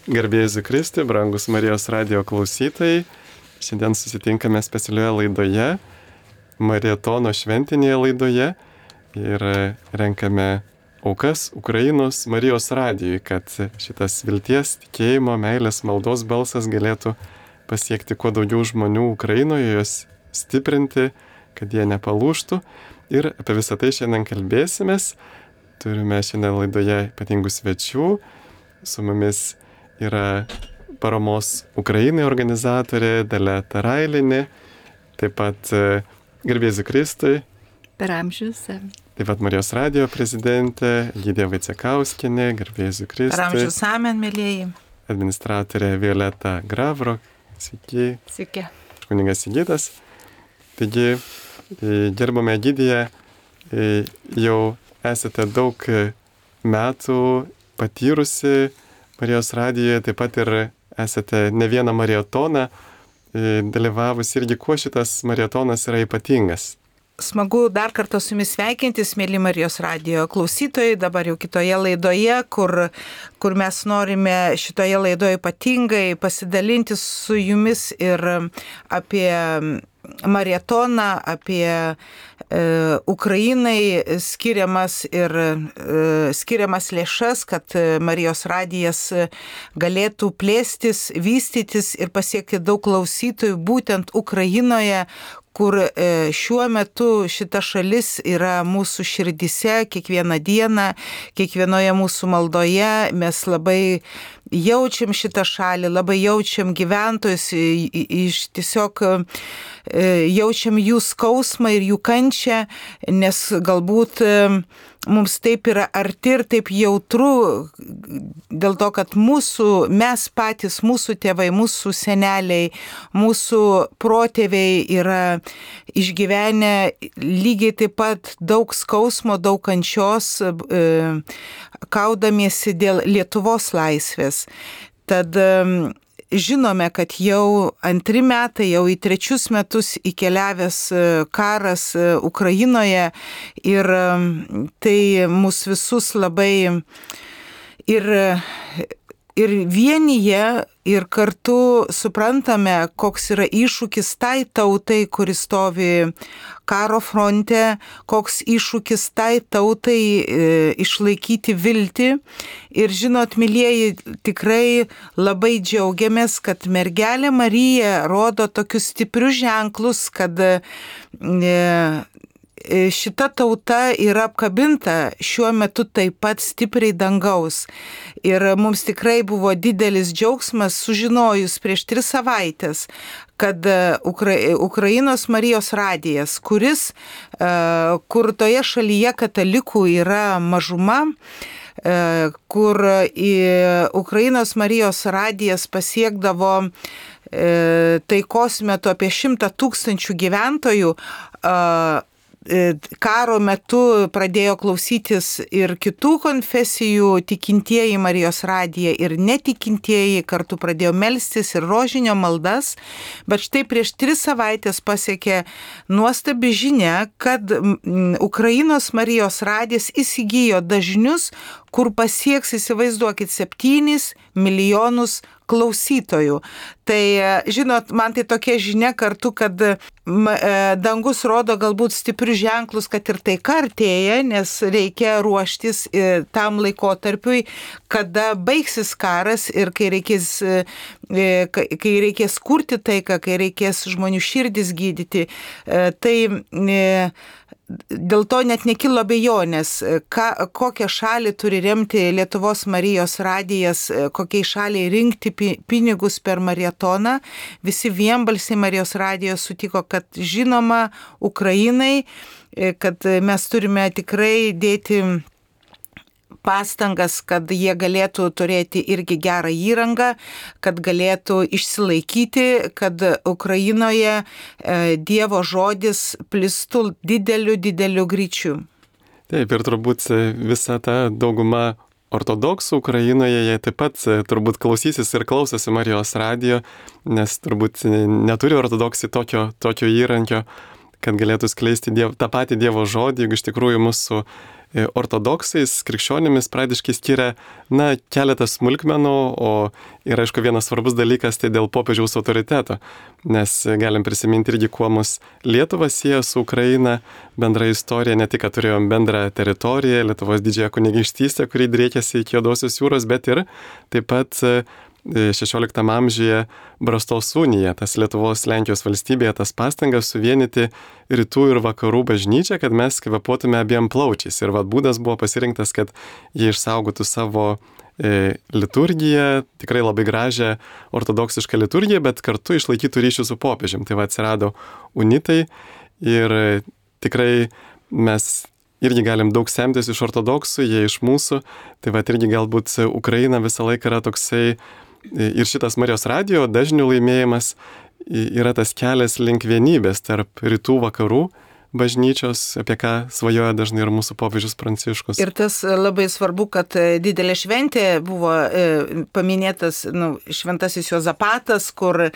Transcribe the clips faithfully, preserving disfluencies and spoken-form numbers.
Garbė Jėzui Kristui, brangus Marijos radijo klausytojai. Šiandien susitinkame specialioje laidoje, Marietono šventinėje laidoje ir renkame aukas Ukrainos Marijos radijui, kad šitas vilties, tikėjimo, meilės, maldos balsas galėtų pasiekti kuo daugiau žmonių Ukrainoje, juos stiprinti, kad jie nepalūžtų. Ir apie visą tai šiandien kalbėsimės. Turime šiandien laidoje ypatingų svečių. Su mumis yra paramos Ukrainai organizatorė Dalia Tarailinė, taip pat Garbė Jėzui Kristui. Per amžius. Taip pat Marijos radijo prezidentė Egidija Vaicekauskienė, Garbė Jėzui Kristui. Per amžius, amen, mėlyjeji. Administratorė Violeta Gravro. Sveiki. Sveiki. Kunigas Egidas. Taigi, gerbame Egidiją, jau esate daug metų patyrusi Marijos radijoje, taip pat ir esate ne vieną marietoną dalyvavus. Irgi kuo šitas marietonas yra ypatingas? Smagu dar kartą su jumis sveikintis, mėly Marijos radijo klausytojai, dabar jau kitoje laidoje, kur, kur mes norime šitoje laidoje ypatingai pasidalinti su jumis ir apie marietoną, apie e, Ukrainai skiriamas ir e, skiriamas lėšas, kad Marijos radijas galėtų plėstis, vystytis ir pasiekti daug klausytojų būtent Ukrainoje, kur e, šiuo metu šita šalis yra mūsų širdise, kiekvieną dieną, kiekvienoje mūsų maldoje mes labai jaučiam šitą šalį, labai jaučiam gyventojus, iš tiesiog jaučiam jų skausmą ir jų kančią, nes galbūt mums taip yra arti ir taip jautru, dėl to, kad mūsų, mes patys, mūsų tėvai, mūsų seneliai, mūsų protėviai yra išgyvenę lygiai taip pat daug skausmo, daug kančios, kaudamiesi dėl Lietuvos laisvės. Tad žinome, kad jau antri metai, jau į trečius metus įkeliavęs karas Ukrainoje ir tai mus visus labai ir, ir vienyje ir kartu suprantame, koks yra iššūkis tai tautai, kuris stovi karo fronte, koks iššūkis tai tautai e, išlaikyti viltį. Ir žinot, mylieji, tikrai labai džiaugiamės, kad mergelė Marija rodo tokius stiprius ženklus, kad e, šita tauta yra apkabinta šiuo metu taip pat stipriai dangaus. Ir mums tikrai buvo didelis džiaugsmas sužinojus prieš tris savaitės, kad Ukra... Ukrainos Marijos radijas, kuris, kur toje šalyje katalikų yra mažuma, kur į Ukrainos Marijos radijas pasiekdavo taikos metu apie šimtą tūkstančių gyventojų, karo metu pradėjo klausytis ir kitų konfesijų tikintieji Marijos radiją ir netikintieji, kartu pradėjo melstis ir rožinio maldas, bet štai prieš tris savaitės pasiekė nuostabi žinia, kad Ukrainos Marijos radijas įsigijo dažnius, kur pasieks, įsivaizduokit, septynis milijonus klausytojų. Tai, žinot, man tai tokia žinia kartu, kad dangus rodo galbūt stiprius ženklus, kad ir taika artėja, nes reikia ruoštis tam laikotarpiui, kada baigsis karas ir kai reikės, kai reikės kurti taiką, kai reikės žmonių širdis gydyti. Tai dėl to net nekilo abejonės, ką, kokią šalį turi remti Lietuvos Marijos radijas, kokiai šaliai rinkti pinigus per marietoną. Visi vienbalsiai Marijos radijos sutiko, kad žinoma Ukrainai, kad mes turime tikrai dėti pastangas, kad jie galėtų turėti irgi gerą įrangą, kad galėtų išsilaikyti, kad Ukrainoje Dievo žodis plistų dideliu, dideliu greičiu. Taip, ir turbūt visa ta dauguma ortodoksų Ukrainoje, jie taip pat turbūt klausysis ir klausosi Marijos radijo, nes turbūt neturi ortodoksai tokio, tokio įrankio, kad galėtų skleisti diev, tą patį Dievo žodį, juk iš tikrųjų mūsų ortodoksais, krikščionimis pradiškai skiria, na, keletą smulkmenų, o ir aišku vienas svarbus dalykas tai dėl popiežiaus autoriteto, nes galim prisiminti irgi, kuo mus Lietuva sieja su Ukraina, bendra istorija, ne tik, kad turėjom bendrą teritoriją, Lietuvos didžiąją kunigaikštystę, kuri driekėsi iki Juodosios jūros, bet ir taip pat šešioliktam amžiuje Brastos unija, tas Lietuvos Lenkijos valstybėje, tas pastangas suvienyti rytų ir vakarų bažnyčią, kad mes kvėpuotume abiem plaučiais. Ir vad būdas buvo pasirinktas, kad jie išsaugotų savo e, liturgiją, tikrai labai gražią ortodoksišką liturgiją, bet kartu išlaikytų ryšių su popiežium. Tai va atsirado unitai ir tikrai mes irgi galim daug semtis iš ortodoksų, jie iš mūsų. Tai va irgi galbūt Ukraina visą laiką yra toksai ir šitas Marijos radijo dažnių laimėjimas yra tas kelias link vienybės tarp rytų vakarų bažnyčios, apie ką svajoja dažnai ir mūsų popiežius Pranciškus. Ir tas labai svarbu, kad didelė šventė buvo e, paminėtas nu, šventasis Juozapatas, kur,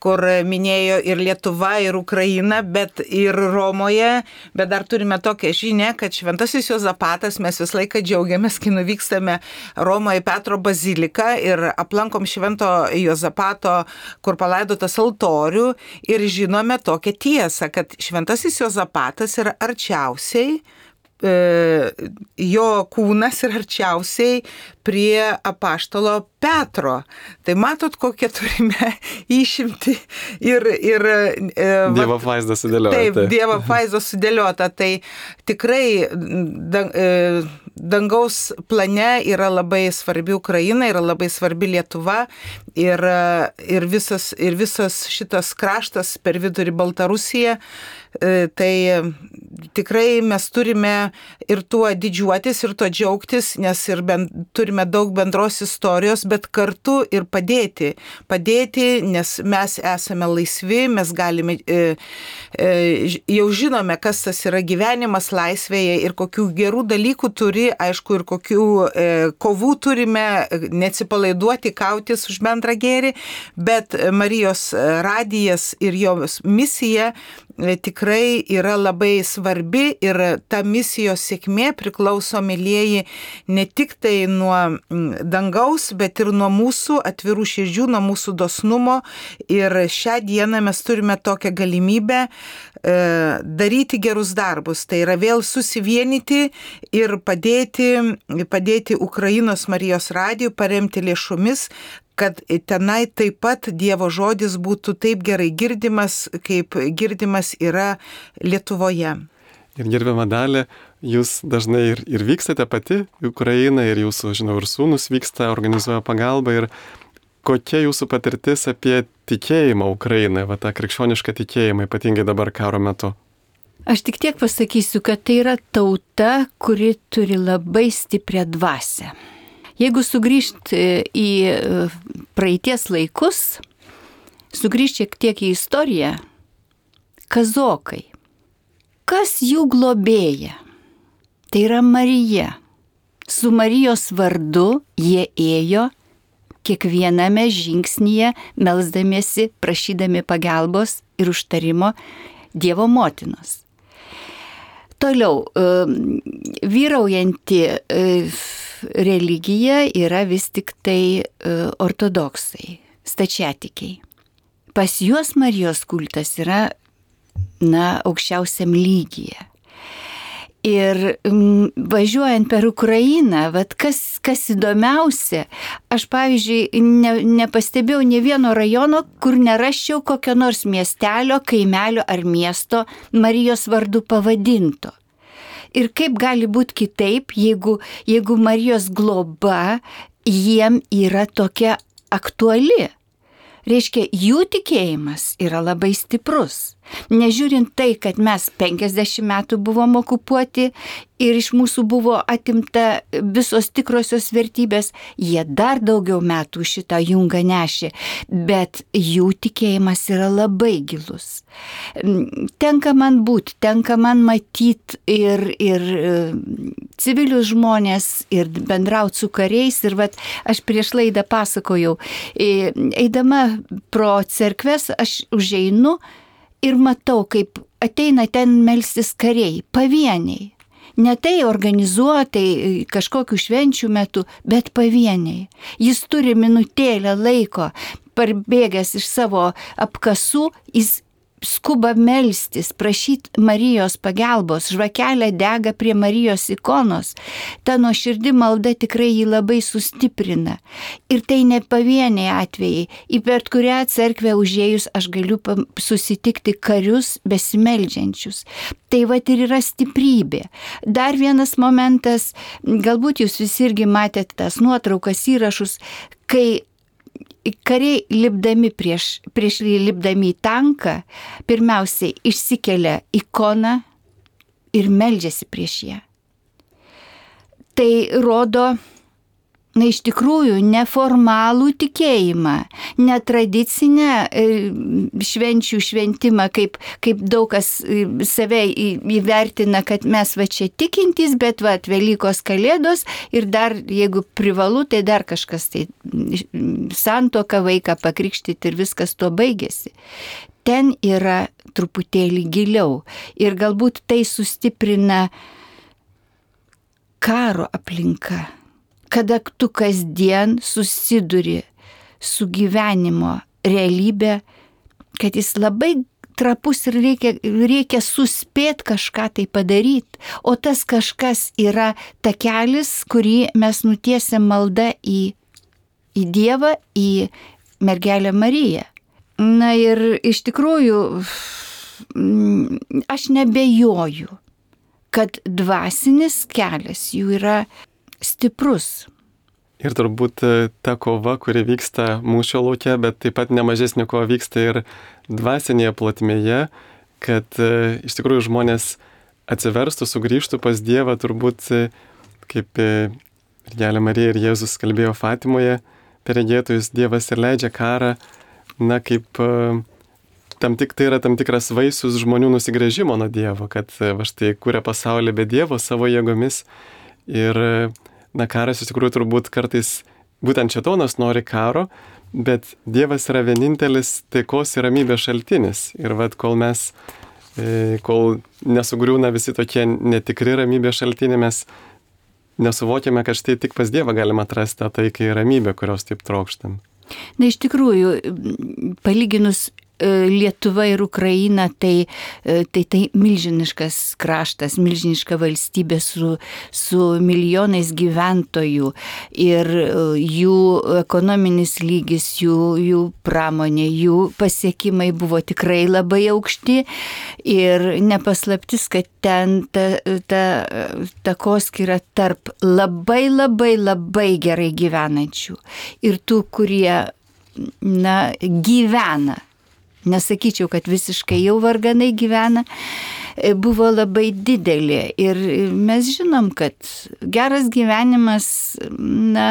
kur minėjo ir Lietuva, ir Ukraina, bet ir Romoje, bet dar turime tokią žinią, kad šventasis Juozapatas, mes visą laiką džiaugiamės, kai nuvykstame Romoje Petro baziliką ir aplankom švento Juozapato, kur palaidotas altorių ir žinome tokią tiesą, kad šventasis Juozapatas yra arčiausiai, e, jo kūnas yra arčiausiai prie apaštalo Petro. Tai matot, kokią turime išimti ir... ir e, Dievo apvaizda sudėliota. Taip, tai. Dievo apvaizda sudėliota. Tai tikrai dang, e, dangaus plane yra labai svarbi Ukraina, yra labai svarbi Lietuva ir, ir, visas, ir visas šitas kraštas per vidurį Baltarusiją. Tai tikrai mes turime ir tuo didžiuotis, ir tuo džiaugtis, nes ir ben, turime daug bendros istorijos, bet kartu ir padėti. Padėti, nes mes esame laisvi, mes galime, e, e, jau žinome, kas tas yra gyvenimas laisvėje ir kokių gerų dalykų turi, aišku, ir kokių e, kovų turime, neatsipalaiduoti, kautis už bendrą gėrį, bet Marijos radijas ir jos misija tikrai yra labai svarbi ir ta misijos sėkmė priklauso, mylieji, ne tik tai nuo dangaus, bet ir nuo mūsų atvirų širdžių, nuo mūsų dosnumo. Ir šią dieną mes turime tokią galimybę e, daryti gerus darbus. Tai yra vėl susivienyti ir padėti, padėti Ukrainos Marijos radijui, paremti lėšomis, kad tenai taip pat Dievo žodis būtų taip gerai girdimas, kaip girdimas yra Lietuvoje. Ir gerbiama Dalia, jūs dažnai ir, ir vykstate pati į Ukrainą, ir jūsų, žinau, ir sūnus vyksta, organizuoja pagalbą. Ir kokia jūsų patirtis apie tikėjimą Ukrainai, va tą krikščionišką tikėjimą, ypatingai dabar karo metu? Aš tik tiek pasakysiu, kad tai yra tauta, kuri turi labai stiprią dvasią. Jeigu sugrįžt į praeities laikus, sugrįžt šiek tiek į istoriją, kazokai. Kas jų globėja? Tai yra Marija. Su Marijos vardu jie ėjo kiekviename žingsnyje, melsdamiesi, prašydami pagalbos ir užtarimo Dievo motinos. Toliau, vyraujanti religija yra vis tik tai ortodoksai, stačiatikiai. Pas juos Marijos kultas yra, na, aukščiausiam lygyje. Ir m, važiuojant per Ukrainą, vat kas, kas įdomiausia, aš, pavyzdžiui, ne, nepastebėjau ne vieno rajono, kur neraščiau kokio nors miestelio, kaimelio ar miesto Marijos vardu pavadinto. Ir kaip gali būti kitaip, jeigu, jeigu Marijos globa jiem yra tokia aktuali. Reiškia, jų tikėjimas yra labai stiprus. Nežiūrint tai, kad mes penkiasdešimt metų buvom okupuoti ir iš mūsų buvo atimta visos tikrosios vertybės, jie dar daugiau metų šitą jungą nešė, bet jų tikėjimas yra labai gilus. Tenka man būti, tenka man matyti ir, ir civilius žmonės, ir bendrauti su kariais. Ir vat, aš prieš laidą pasakojau, eidama pro cerkves, aš užeinu ir matau, kaip ateina ten melstis kariai, pavieniai. Ne tai organizuotai kažkokių švenčių metu, bet pavieniai. Jis turi minutėlę laiko, parbėgęs iš savo apkasų, jis skuba melstis, prašyti Marijos pagalbos, žvakelė dega prie Marijos ikonos. Ta nuoširdi malda tikrai jį labai sustiprina. Ir tai ne pavieniai atvejai. Į bet kurią cerkvę užėjus aš galiu susitikti karius besimeldžiančius. Tai vat ir yra stiprybė. Dar vienas momentas, galbūt jūs visi irgi matėte tas nuotraukas, įrašus, kai kariai lipdami prieš, prieš lipdami į tanką, pirmiausiai išsikelia ikoną ir meldžiasi prieš ją. Tai rodo, na, iš tikrųjų, neformalų tikėjimą, netradicinę švenčių šventimą, kaip, kaip daug kas save įvertina, kad mes va čia tikintys, bet va Velykos Kalėdos ir dar, jeigu privalu, tai dar kažkas, tai santuoką vaiką pakrikštyti ir viskas tuo baigėsi. Ten yra truputėlį giliau ir galbūt tai sustiprina karo aplinka. Kada tu kasdien susiduri su gyvenimo realybė, kad jis labai trapus ir reikia, reikia suspėti kažką tai padaryti, o tas kažkas yra takelis, kurį mes nutiesiam malda į, į Dievą, į Mergelę Mariją. Na ir iš tikrųjų aš nebejoju, kad dvasinis kelias jų yra stiprus. Ir turbūt ta kova, kuri vyksta mūšio lauke, bet taip pat nemažesnė kova vyksta ir dvasinėje plotmėje, kad iš tikrųjų žmonės atsiverstų, sugrįžtų pas Dievą, turbūt kaip Mergelė Marija ir Jėzus kalbėjo Fatimoje, per regėtojus Dievas ir leidžia karą, na kaip tam tik tai yra tam tikras vaisius žmonių nusigręžimo nuo Dievo, kad va štai kūrė pasaulį be Dievo savo jėgomis. Ir na, karas iš tikrųjų turbūt kartais būtent šėtonas nori karo, bet Dievas yra vienintelis taikos ir ramybės šaltinis. Ir vat kol mes, kol nesugriūna visi tokie netikri ramybės šaltiniai, mes nesuvokiame, kad štai tik pas Dievą galima atrasti tą taiką ir ramybę, kurios taip trokštam. Na, iš tikrųjų, palyginus Lietuva ir Ukraina, tai, tai, tai milžiniškas kraštas, milžiniška valstybė su, su milijonais gyventojų ir jų ekonominis lygis, jų, jų pramonė, jų pasiekimai buvo tikrai labai aukšti ir nepaslaptis, kad ten ta, ta takoskyra tarp labai labai labai gerai gyvenančių ir tų, kurie, na, gyvena. Nesakyčiau, kad visiškai jau varganai gyvena, buvo labai didelė. Ir mes žinom, kad geras gyvenimas, na,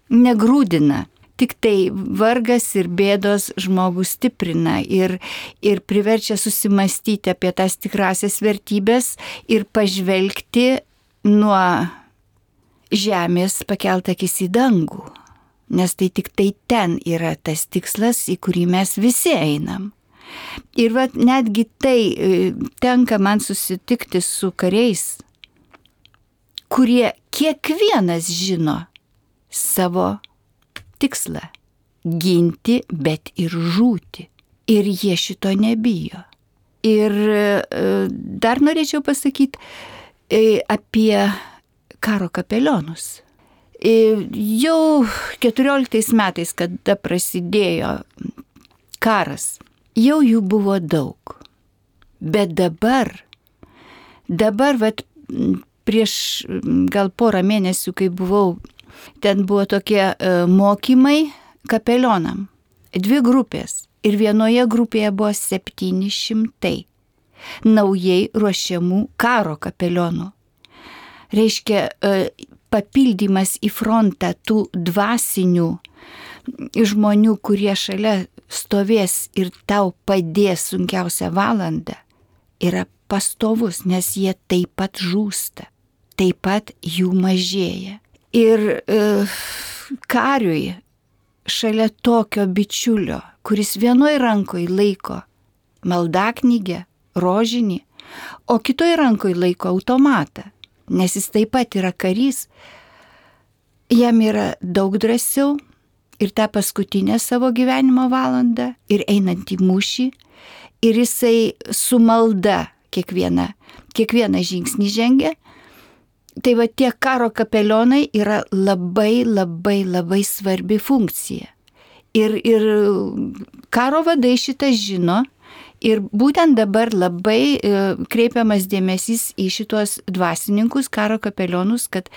negrūdina. Tik tai vargas ir bėdos žmogų stiprina ir, ir priverčia susimastyti apie tas tikrasias vertybės ir pažvelgti nuo žemės pakelt akis į dangų. Nes tai tik tai ten yra tas tikslas, į kurį mes visi einam. Ir vat netgi tai tenka man susitikti su kariais, kurie kiekvienas žino savo tikslą – ginti, bet ir žūti. Ir jie šito nebijo. Ir dar norėčiau pasakyti apie karo kapelionus. Jau keturioliktais metais, kada prasidėjo karas, jau jų buvo daug. Bet dabar, dabar, vat, prieš gal porą mėnesių, kai buvau, ten buvo tokie mokymai kapelionam. Dvi grupės. Ir vienoje grupėje buvo septyni šimtai naujai ruošiamų karo kapelionų. Reiškia, papildymas į frontą tų dvasinių žmonių, kurie šalia stovės ir tau padės sunkiausią valandą, yra pastovus, nes jie taip pat žūsta, taip pat jų mažėja. Ir e, kariui šalia tokio bičiulio, kuris vienoj rankoje laiko maldaknygę, rožinį, o kitoj rankoje laiko automatą, nes jis taip pat yra karys, jam yra daug drąsiau ir tą paskutinę savo gyvenimo valandą, ir einant į mūšį, ir jisai su malda kiekvieną, kiekvieną žingsnį žengia. Tai va tie karo kapelionai yra labai, labai, labai svarbi funkcija. Ir, ir karo vadai šitą žino ir būtent dabar labai e, kreipiamas dėmesys į šitos dvasininkus, karo kapelionus, kad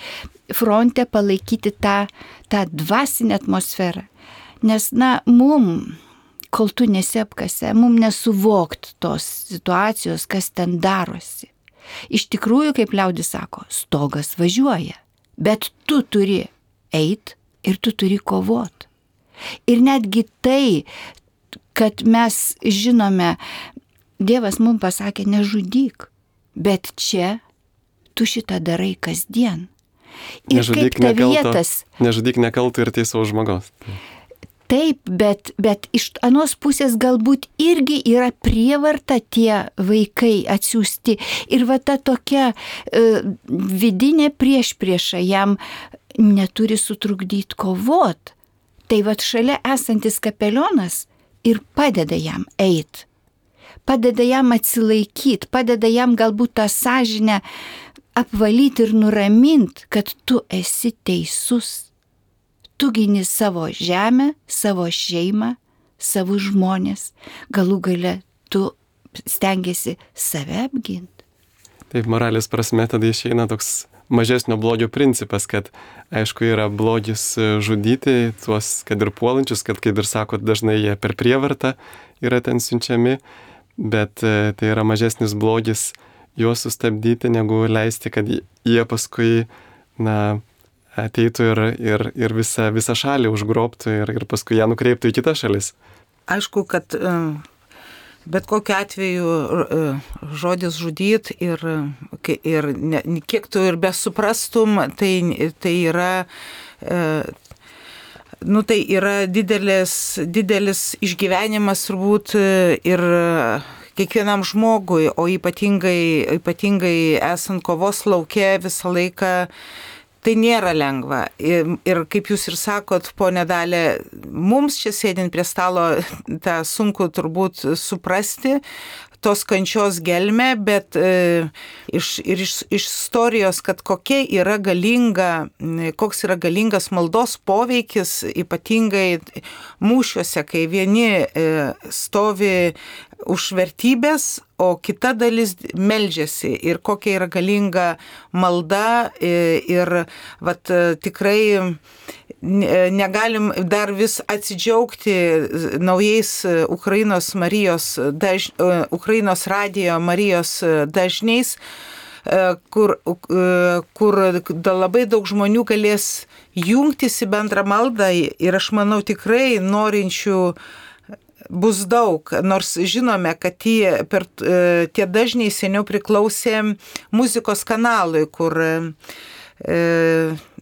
fronte palaikyti tą, tą dvasinę atmosferą. Nes, na, mum, kol tu nesi apkase, mum nesuvokt tos situacijos, kas ten darosi. Iš tikrųjų, kaip liaudis sako, stogas važiuoja, bet tu turi eit ir tu turi kovot. Ir netgi tai, kad mes žinome, Dievas mums pasakė nežudyk, bet čia tu šitą darai kasdien. Ir nežudyk kaip ta nekalto, vietas. Nežudyk nekalto ir teisaus žmogaus. Taip, bet, bet iš anos pusės galbūt irgi yra prievarta tie vaikai atsiųsti. Ir va ta tokia e, vidinė priešprieša jam neturi sutrukdyti kovot. Tai va šalia esantis kapelionas ir padeda jam eit. Padeda jam atsilaikyti, padeda jam galbūt tą sąžinę apvalyti ir nuraminti, kad tu esi teisus. Tu gini savo žemę, savo šeimą, savo žmonės. Galų gale tu stengiasi save apginti. Taip, moralės prasme tada išeina toks mažesnio blogio principas, kad aišku yra blogis žudyti tuos, kad ir puolančius, kad, kaip ir sakot, dažnai jie per prievartą yra ten siunčiami, bet tai yra mažesnis blogis juos sustabdyti, negu leisti, kad jie paskui, na, ateitų ir, ir, ir visą, visą šalį užgrobtų ir, ir paskui ją nukreiptų į kitas šalis. Aišku, kad bet kokiu atveju žodis žudyt ir, ir ne, kiek tu ir besuprastum, tai, tai yra, nu, tai yra didelis, didelis išgyvenimas turbūt ir kiekvienam žmogui, o ypatingai, ypatingai esant kovos lauke visą laiką. Tai nėra lengva. Ir, ir kaip jūs ir sakot, ponė Dalia, mums čia sėdint prie stalo tą sunku turbūt suprasti, tos kančios gelmę, bet e, iš, ir iš, iš istorijos, kad kokia yra galinga, koks yra galingas maldos poveikis, ypatingai mūšiuose, kai vieni e, stovi už vertybės, o kita dalis meldžiasi ir kokia yra galinga malda ir vat, tikrai negalim dar vis atsidžiaugti naujais Ukrainos Marijos, daž, Ukrainos radijo Marijos dažniais, kur, kur labai daug žmonių galės jungtis į bendrą maldą ir aš manau tikrai norinčių bus daug, nors žinome, kad tie, per, tie dažniai seniau priklausė muzikos kanalui, kur e,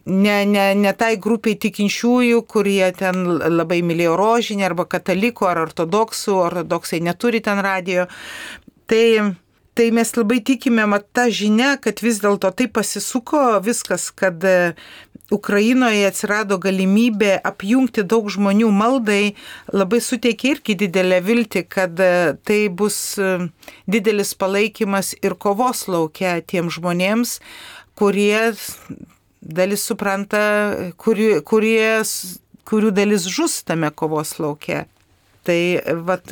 ne, ne, ne tai grupiai tikinčiųjų, kurie ten labai mylėjo rožinį arba katalikų ar ortodoksų, ortodoksai neturi ten radijo. Tai Tai mes labai tikime, mat tą žinią, kad vis dėlto tai pasisuko viskas, kad Ukrainoje atsirado galimybė apjungti daug žmonių maldai, labai suteikia irgi didelę viltį, kad tai bus didelis palaikymas ir kovos lauke tiem žmonėms, kurie dalis supranta, kurie, kurie, kurių dalis žus tame kovos lauke. Tai vat,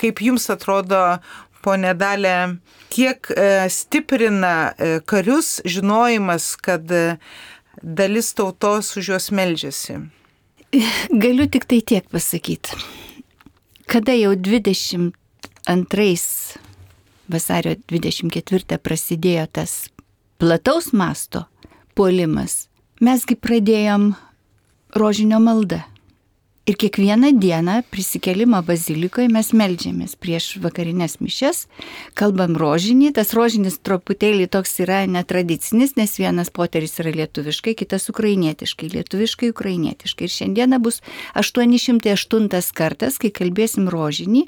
kaip jums atrodo, ponė Dalia, kiek stiprina karius žinojimas, kad dalis tautos už juos meldžiasi? Galiu tik tai tiek pasakyti. Kada jau dvidešimt antrais vasario dvidešimt ketvirtą prasidėjo tas plataus masto puolimas, mesgi pradėjom rožinio maldą. Ir kiekvieną dieną prisikėlimą bazilikoje mes meldžiamės prieš vakarinės mišias, kalbam rožinį, tas rožinis truputėlį toks yra netradicinis, nes vienas poteris yra lietuviškai, kitas ukrainietiškai, lietuviškai, ukrainietiškai. Ir šiandieną bus aštuoni šimtai aštuntas kartas, kai kalbėsim rožinį,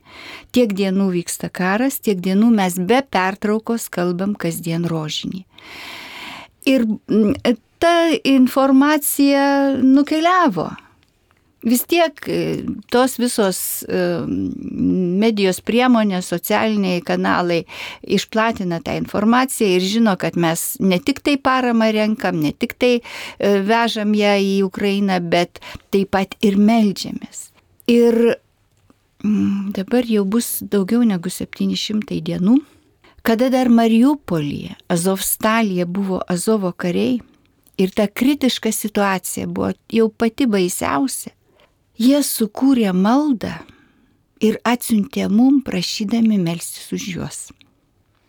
tiek dienų vyksta karas, tiek dienų mes be pertraukos kalbam kasdien rožinį. Ir ta informacija nukeliavo. Vis tiek tos visos medijos priemonės, socialiniai kanalai išplatina tą informaciją ir žino, kad mes ne tik tai paramą renkam, ne tik tai vežam ją į Ukrainą, bet taip pat ir meldžiamės. Ir dabar jau bus daugiau negu septyni šimtai dienų, kada dar Mariupolyje, Azovstalyje buvo Azovo kariai ir ta kritiška situacija buvo jau pati baisiausia. Jie sukūrė maldą ir atsiuntė mum prašydami melstis už juos.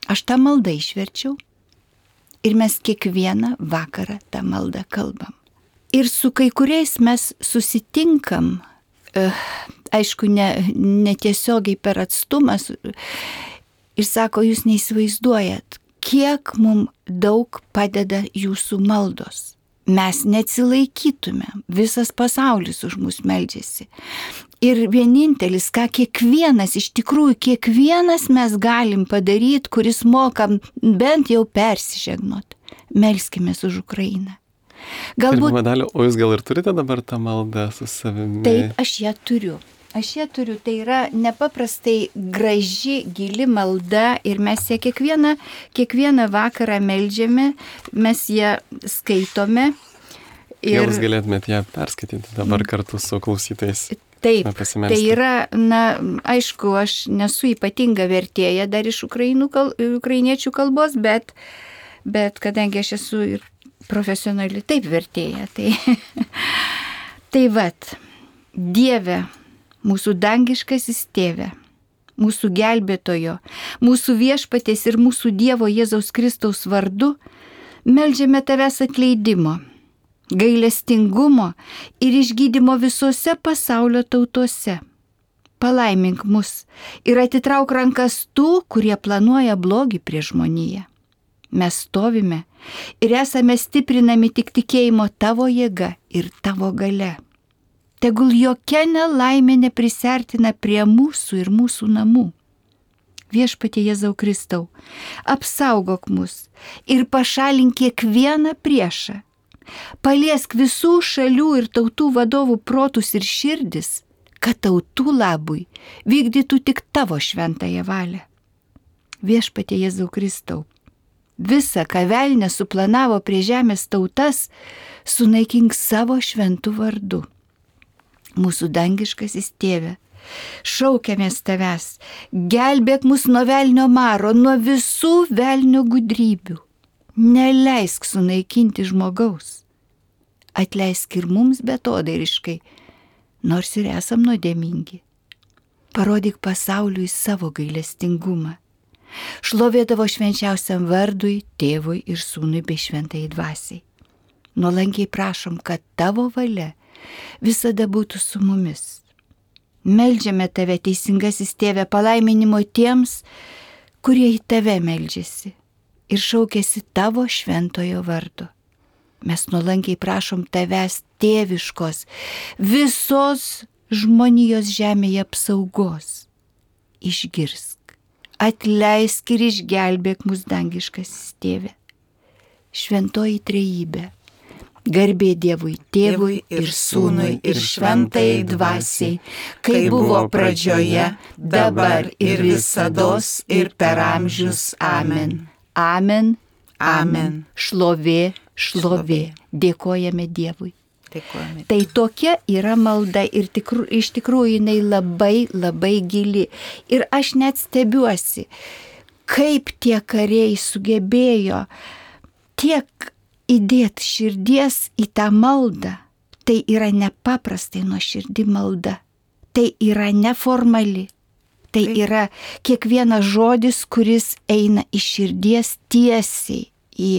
Aš tą maldą išverčiau ir mes kiekvieną vakarą tą maldą kalbam. Ir su kai kuriais mes susitinkam, aišku, ne, ne tiesiogiai per atstumą, ir sako, jūs neįsivaizduojat, kiek mum daug padeda jūsų maldos. Mes neatsilaikytume, visas pasaulis už mus meldžiasi. Ir vienintelis, ką kiekvienas, iš tikrųjų kiekvienas mes galim padaryti, kuris mokam bent jau persižegnot, melskimės už Ukrainą. Galbūt... Madalio, o jūs gal ir turite dabar tą maldą su savimi? Taip, aš ją turiu. Aš ją turiu, tai yra nepaprastai graži, gili malda ir mes ją kiekvieną, kiekvieną vakarą meldžiame, mes ją skaitome. Ir... Gal jūs galėtumėte ją perskaityti dabar kartu su klausytais? Taip, tai yra, na, aišku, aš nesu ypatinga vertėja dar iš ukrainų kal, ukrainiečių kalbos, bet, bet kadangi aš esu ir profesionali taip vertėja, tai, tai vat, Dieve, mūsų dangiškasis Tėve, mūsų gelbėtojo, mūsų viešpaties ir mūsų Dievo Jėzaus Kristaus vardu, meldžiame Tavęs atleidimo, gailestingumo ir išgydymo visose pasaulio tautose. Palaimink mus ir atitrauk rankas tų, kurie planuoja blogį prieš žmoniją. Mes stovime ir esame stiprinami tik tikėjimo Tavo jėga ir Tavo galia. Tegul jokia nelaimė neprisertina prie mūsų ir mūsų namų. Viešpatie Jėzau Kristau, apsaugok mus ir pašalink kiekvieną priešą. Paliesk visų šalių ir tautų vadovų protus ir širdis, kad tautų labui vykdytų tik Tavo šventąją valią. Viešpatie Jėzau Kristau, visa, ką velnias suplanavo prie žemės tautas, sunaikink savo šventų vardu. Mūsų dangiškasis Tėve, šaukiamės Tavęs, gelbėk mus nuo velnio maro, nuo visų velnio gudrybių. Neleisk sunaikinti žmogaus. Atleisk ir mums betodairiškai, nors ir esam nuodėmingi. Parodyk pasauliui savo gailestingumą. Šlovė Tavo švenčiausiam vardui, Tėvui ir Sūnui bei šventai dvasiai. Nuolankiai prašom, kad Tavo valia visada būtų su mumis. Meldžiame Tave, teisingasis Tėve, palaiminimo tiems, kurie į Tave meldžiasi ir šaukėsi Tavo šventojo vardo. Mes nuolankiai prašom Tavęs tėviškos, visos žmonijos žemėje apsaugos. Išgirsk, atleisk ir išgelbėk mus dangiškasis Tėve. Šventoji trejybė. Garbė Dievui, Tėvui ir Sūnui ir šventai dvasiai, kai buvo pradžioje, dabar ir visados ir per amžius. Amen. Amen. Amen. Šlovė, šlovė. Dėkojame Dievui. Dėkojame. Tai tokia yra malda ir tikru, iš tikrųjų jinai labai, labai gili. Ir aš net stebiuosi, kaip tie kariai sugebėjo tiek įdėti širdies į tą maldą. Tai yra nepaprastai nuoširdi malda. Tai yra neformali. Tai yra kiekvienas žodis, kuris eina iš širdies tiesiai į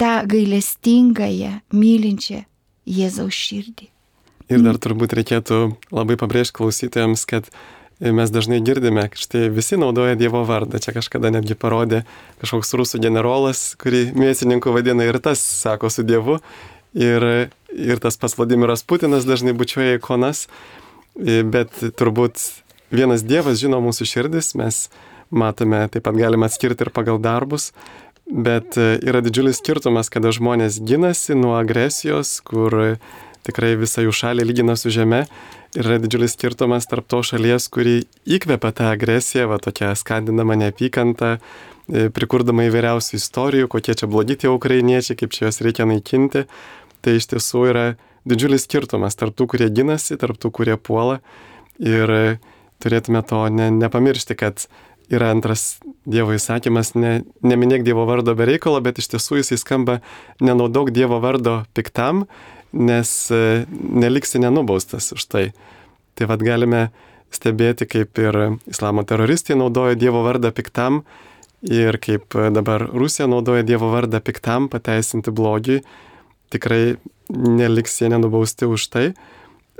tą gailestingąją, mylinčią Jėzaus širdį. Ir dar turbūt reikėtų labai pabrėžti klausytojams, kad mes dažnai girdime, kad štai visi naudoja Dievo vardą. Čia kažkada netgi parodė kažkoks rusų generolas, kurį mėsininku vadina, ir tas sako su Dievu. Ir, ir tas pats Vladimiras Putinas dažnai bučiuoja ikonas. Bet turbūt vienas Dievas žino mūsų širdis, mes matome, taip pat galime atskirti ir pagal darbus. Bet yra didžiulis skirtumas, kada žmonės ginasi nuo agresijos, kur tikrai visą jų šalį lygina su žeme. Ir yra didžiulis skirtumas tarp to šalies, kuri įkvepia tą agresiją, va tokia skandinama neapykanta, prikurdama įvairiausių istorijų, kokie čia blogi tie ukrainiečiai, kaip čia juos reikia naikinti. Tai iš tiesų yra didžiulis skirtumas tarp tų, kurie ginasi, tarp tų, kurie puola. Ir turėtume to ne, nepamiršti, kad yra antras Dievo įsakymas, ne, neminėk Dievo vardo be reikalo, bet iš tiesų jisai skamba nenaudok Dievo vardo piktam, nes neliksi nenubaustas už tai. Tai vad galime stebėti, kaip ir islamo teroristai naudoja Dievo vardą piktam ir kaip dabar Rusija naudoja Dievo vardą piktam pateisinti blogiui. Tikrai neliks jie nenubausti už tai,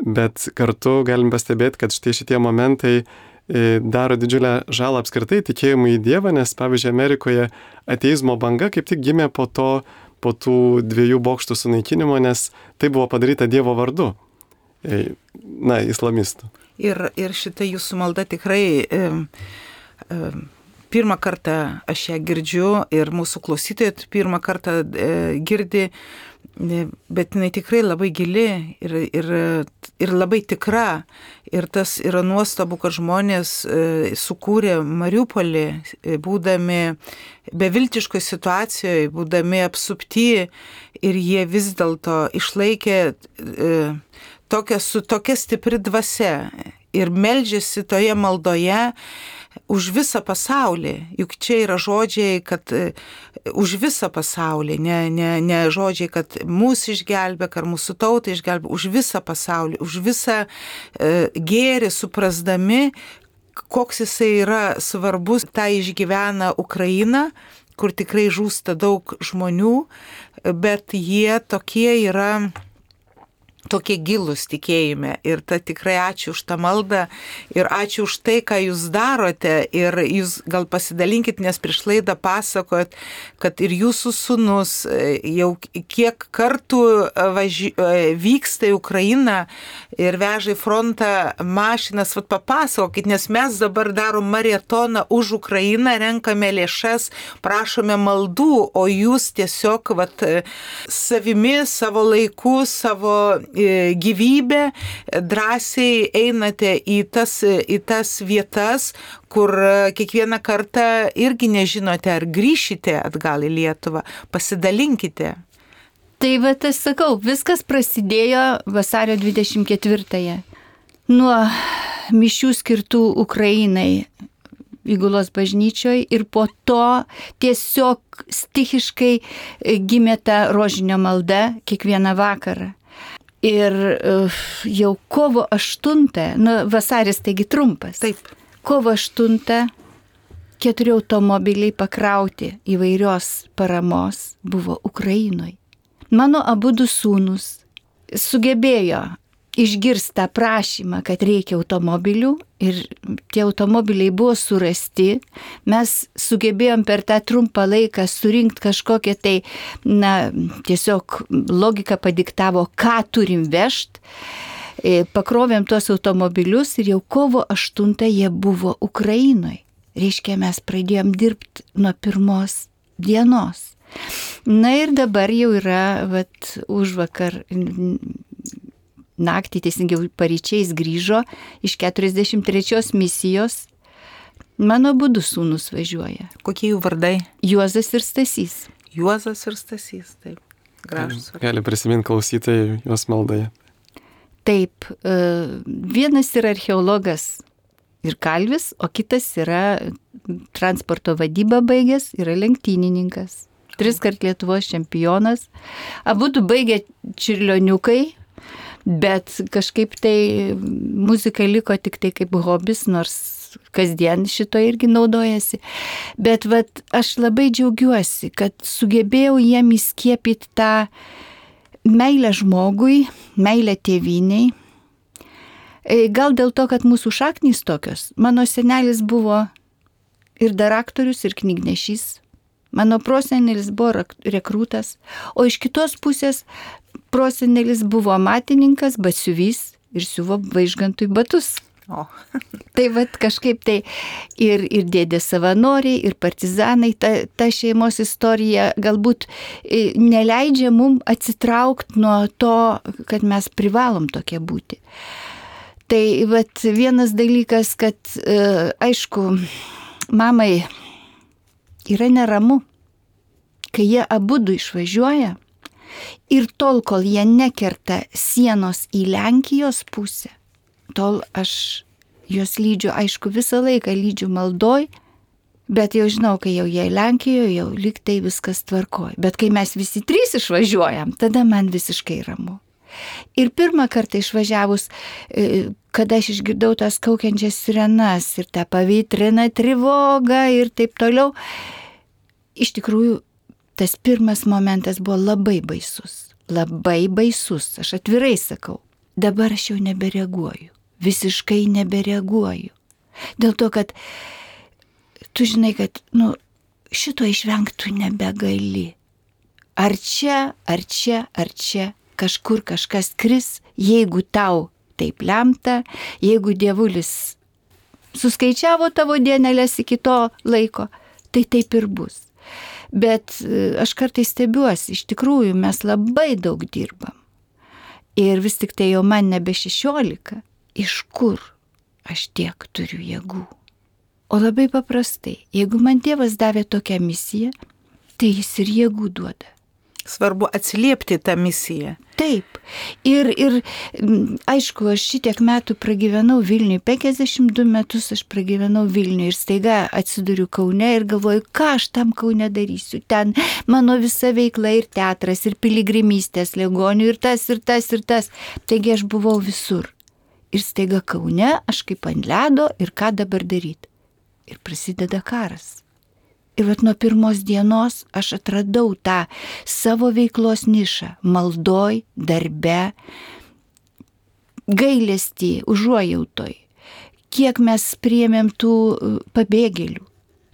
bet kartu galim pastebėti, kad štai šitie momentai daro didžiulę žalą apskritai tikėjimui į Dievą, nes pavyzdžiui Amerikoje ateizmo banga kaip tik gimė po to, po tų dviejų bokštų sunaikinimo, nes tai buvo padaryta Dievo vardu, na, islamistų. Ir, ir šitą jūsų maldą tikrai e, e, pirmą kartą aš ją girdžiu ir mūsų klausytojai pirmą kartą e, girdi, bet jinai tikrai labai gili ir, ir, ir labai tikra. Ir tas yra nuostabu, kad žmonės e, sukūrė Mariupolį, e, būdami beviltiškoje situacijoje, būdami apsupti, ir jie vis dėlto išlaikė e, tokia, su tokia stipri dvasia ir meldžiasi toje maldoje už visą pasaulį. Juk čia yra žodžiai, kad už visą pasaulį, ne, ne, ne žodžiai, kad mūsų išgelbėk ar mūsų tautą išgelbėk, už visą pasaulį, už visą e, gėrį suprasdami, koks jisai yra svarbus. Tai išgyvena Ukraina, kur tikrai žūsta daug žmonių, bet jie tokie yra tokie gilūs tikėjime. Ir ta tikrai ačiū už tą maldą ir ačiū už tai, ką jūs darote. Ir jūs gal pasidalinkit, nes prieš laidą pasakojot, kad ir jūsų sūnus jau kiek kartų važi... vyksta į Ukrainą ir veža į frontą mašinas. Vat papasakokit, nes mes dabar darom maratoną už Ukrainą, renkame lėšas, prašome maldų, o jūs tiesiog vat, savimi, savo laiku, savo gyvybę drąsiai einate į tas, į tas vietas, kur kiekvieną kartą irgi nežinote, ar grįšite atgal į Lietuvą. Pasidalinkite. Tai va, aš sakau, viskas prasidėjo vasario dvidešimt ketvirtąją. Nuo mišių skirtų Ukrainai įgulos bažnyčioje ir po to tiesiog stichiškai gimė ta rožinio malda kiekvieną vakarą. Ir uh, jau kovo aštuntą, nu vasaris taigi trumpas. Taip. Kovo aštuntą keturi automobiliai pakrauti įvairios paramos buvo Ukrainoje. Mano abudu sūnus sugebėjo išgirsti tą prašymą, kad reikia automobilių, ir tie automobiliai buvo surasti. Mes sugebėjom per tą trumpą laiką surinkti kažkokią tai, na, tiesiog logika padiktavo, ką turim vežti. Pakrovėm tuos automobilius ir jau kovo aštuntą jie buvo Ukrainoje. Reiškia, mes pradėjom dirbti nuo pirmos dienos. Na ir dabar jau yra, vat, užvakar naktį, teisingiau paryčiais grįžo iš keturiasdešimt trečios misijos. Mano abudu sūnus važiuoja. Kokie jų vardai? Juozas ir Stasys. Juozas ir Stasys, taip. Gražus. Gali prisiminti klausytojai jos maldoje. Taip, vienas yra archeologas ir kalvis, o kitas yra transporto vadybą baigęs, yra lenktynininkas. Tris kart Lietuvos čempionas. Abudu baigė čiurlioniukai, bet kažkaip tai muzika liko tik tai kaip hobis, nors kasdien šito irgi naudojasi. Bet vat, aš labai džiaugiuosi, kad sugebėjau jiem įskiepyti tą meilė žmogui, meilė tėviniai. Gal dėl to, kad mūsų šaknys tokios. Mano senelis buvo ir daraktorius, ir knygnešys. Mano prosenelis buvo rekrūtas, o iš kitos pusės prosenelis buvo amatininkas, batsiuvys ir siuvo Vaižgantui batus. O. Tai vat kažkaip tai ir, ir dėdė savanoriai, ir partizanai, ta, ta šeimos istorija galbūt neleidžia mum atsitraukti nuo to, kad mes privalom tokie būti. Tai vat vienas dalykas, kad aišku, mamai yra neramu, kai jie abudu išvažiuoja ir tol, kol jie nekerta sienos į Lenkijos pusę, tol aš juos lydžiu, aišku, visą laiką lydžiu maldoj, bet jau žinau, kai jau jie Lenkijoje, jau lyg tai viskas tvarkoja. Bet kai mes visi trys išvažiuojam, tada man visiškai ramu. Ir pirmą kartą išvažiavus, kada aš išgirdau tas kaukiančias sirenas ir tą pavytriną trivogą ir taip toliau, iš tikrųjų tas pirmas momentas buvo labai baisus. Labai baisus, aš atvirai sakau. Dabar aš jau nebereaguoju. Visiškai nebereaguoju. Dėl to, kad tu žinai, kad nu, šito išvengtų nebegali. Ar čia, ar čia, ar čia kažkur kažkas kris, jeigu tau taip lemta, jeigu dievulis suskaičiavo tavo dienelės iki to laiko, tai taip ir bus. Bet aš kartais stebiuosi, iš tikrųjų mes labai daug dirbam. Ir vis tik tai jau man nebe šešiolika, iš kur aš tiek turiu jėgų. O labai paprastai, jeigu man Dievas davė tokią misiją, tai jis ir jėgų duoda. Svarbu atsiliepti tą misiją. Taip. Ir, ir aišku, aš šitiek metų pragyvenau Vilniuje, penkiasdešimt du metus aš pragyvenau Vilniuje ir staiga atsiduriu Kaune ir galvoju, ką aš tam Kaune darysiu. Ten mano visa veikla ir teatras, ir piligrimystės ligonių, ir tas, ir tas, ir tas. Taigi aš buvau visur. Ir staiga Kaune aš kaip ant ledo ir ką dabar daryti. Ir prasideda karas. Ir vat nuo pirmos dienos aš atradau tą savo veiklos nišą, maldoj, darbe, gailestį, užuojautoj. Kiek mes priėmėm tų pabėgėlių,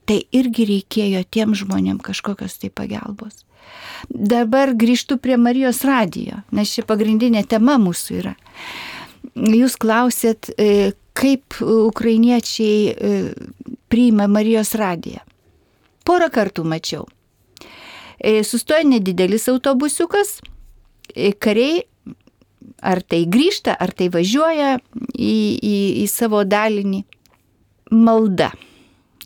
tai irgi reikėjo tiem žmonėm kažkokios tai pagalbos. Dabar grįžtu prie Marijos radijo, nes ši pagrindinė tema mūsų yra. Jūs klausėt, kaip ukrainiečiai priima Marijos radiją. Porą kartų mačiau. Sustoja nedidelis autobusiukas, kariai ar tai grįžta, ar tai važiuoja į, į, į savo dalinį. Malda,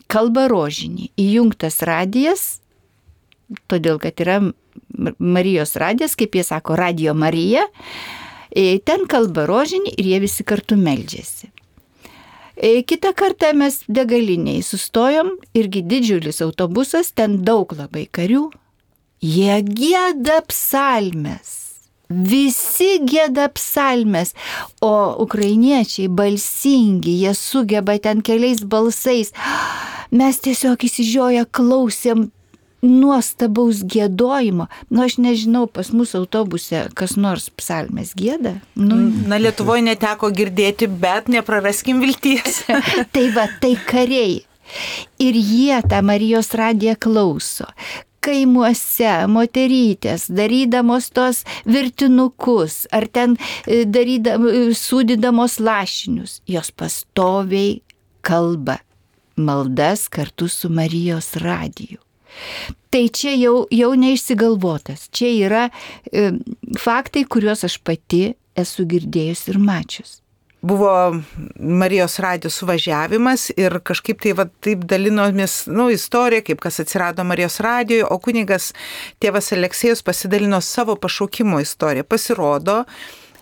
kalba rožinį, įjungtas radijas, todėl kad yra Marijos radijas, kaip jie sako, Radio Marija, ten kalba rožinį ir jie visi kartu meldžiasi. Kitą kartą mes degaliniai sustojom, irgi didžiulis autobusas, ten daug labai karių. Jie gieda psalmes, visi gieda psalmes, o ukrainiečiai balsingi, jie sugeba ten keliais balsais. Mes tiesiog įsižioję klausėm nuostabaus giedojimo. Nu, aš nežinau, pas mus autobuse kas nors psalmes gieda. Nu, Na, Lietuvoje neteko girdėti, bet nepraraskim vilties. Tai va, tai kariai. Ir jie tą Marijos radiją klauso. Kaimuose moterytės, darydamos tos virtinukus, ar ten darydamos, sūdydamos lašinius, jos pastoviai kalba maldas kartu su Marijos radiju. Tai čia jau, jau neišsigalvotas. Čia yra e, faktai, kuriuos aš pati esu girdėjus ir mačius. Buvo Marijos radijo suvažiavimas ir kažkaip tai va, taip dalinomės nu, istoriją, kaip kas atsirado Marijos radijoje, o kunigas tėvas Aleksėjus pasidalino savo pašaukimo istoriją. Pasirodo,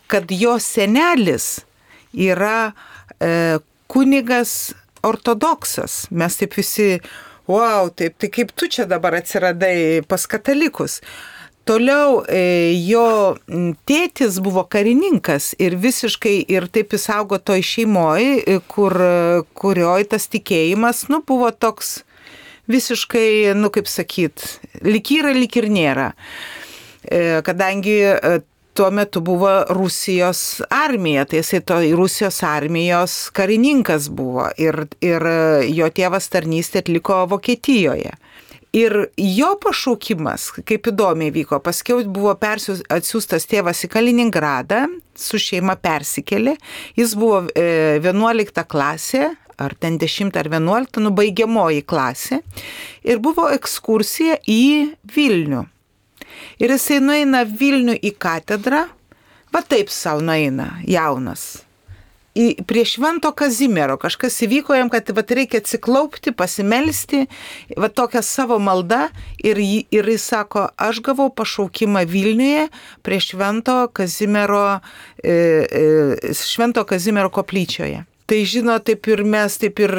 kad jo senelis yra e, kunigas ortodoksas. Mes taip visi... Wow, taip, tai kaip tu čia dabar atsiradai pas katalikus. Toliau e, jo tėtis buvo karininkas ir visiškai ir taip jis augo toj šeimoj, kur, kurioj tas tikėjimas, nu, buvo toks visiškai, nu kaip sakyt, lyg yra, lyg ir nėra. E, kadangi e, tuo metu buvo Rusijos armija, tai jisai to Rusijos armijos karininkas buvo ir, ir jo tėvas tarnystę atliko Vokietijoje. Ir jo pašaukimas, kaip įdomiai vyko, paskiau buvo persius, atsiųstas tėvas į Kaliningradą, su šeima persikėlė, jis buvo e, vienuolikta klasė, ar ten dešimta ar vienuolikta, nu baigiamoji klasė, ir buvo ekskursija į Vilnių. Ir jisai nueina Vilnių į katedrą, va taip savo nueina, jaunas. Į, prie Švento Kazimiero kažkas įvyko jam, kad va, reikia atsiklaupti, pasimelsti, va tokia savo malda ir, ir jis sako, aš gavau pašaukimą Vilniuje prie Švento Kazimiero, e, e, Švento Kazimiero koplyčioje. Tai žino, taip ir mes, taip ir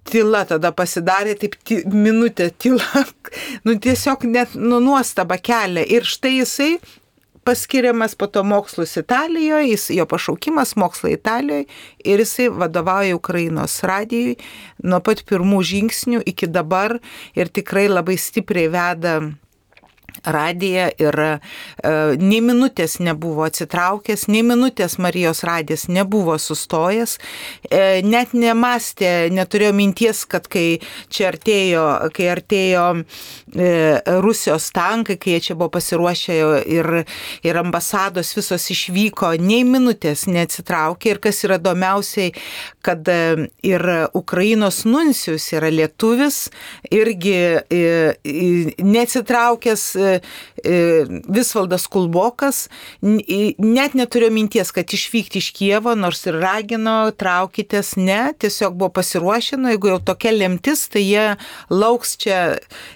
tyla tada pasidarė, taip ty, minutė tyla, nu tiesiog net nu, nuostaba kelia. Ir štai jisai paskiriamas po to mokslus Italijoje, jis, jo pašaukimas mokslai Italijoje ir jisai vadovauja Ukrainos radijui nuo pat pirmų žingsnių iki dabar ir tikrai labai stipriai veda radiją ir e, nei minutės nebuvo atsitraukęs, nei minutės Marijos radijas nebuvo sustojęs, e, net nemastė, neturėjo minties, kad kai čia artėjo, kai artėjo e, Rusijos tankai, kai jie čia buvo pasiruošę ir, ir ambasados visos išvyko, nei minutės neatsitraukė ir kas yra įdomiausiai, kad e, ir Ukrainos nuncijus yra lietuvis, irgi e, e, neatsitraukęs Visvaldas Kulbokas, net neturėjo minties, kad išvykti iš Kijevo, nors ir ragino, traukitės, ne, tiesiog buvo pasiruošę, nu, jeigu jau tokia lemtis, tai jie lauks čia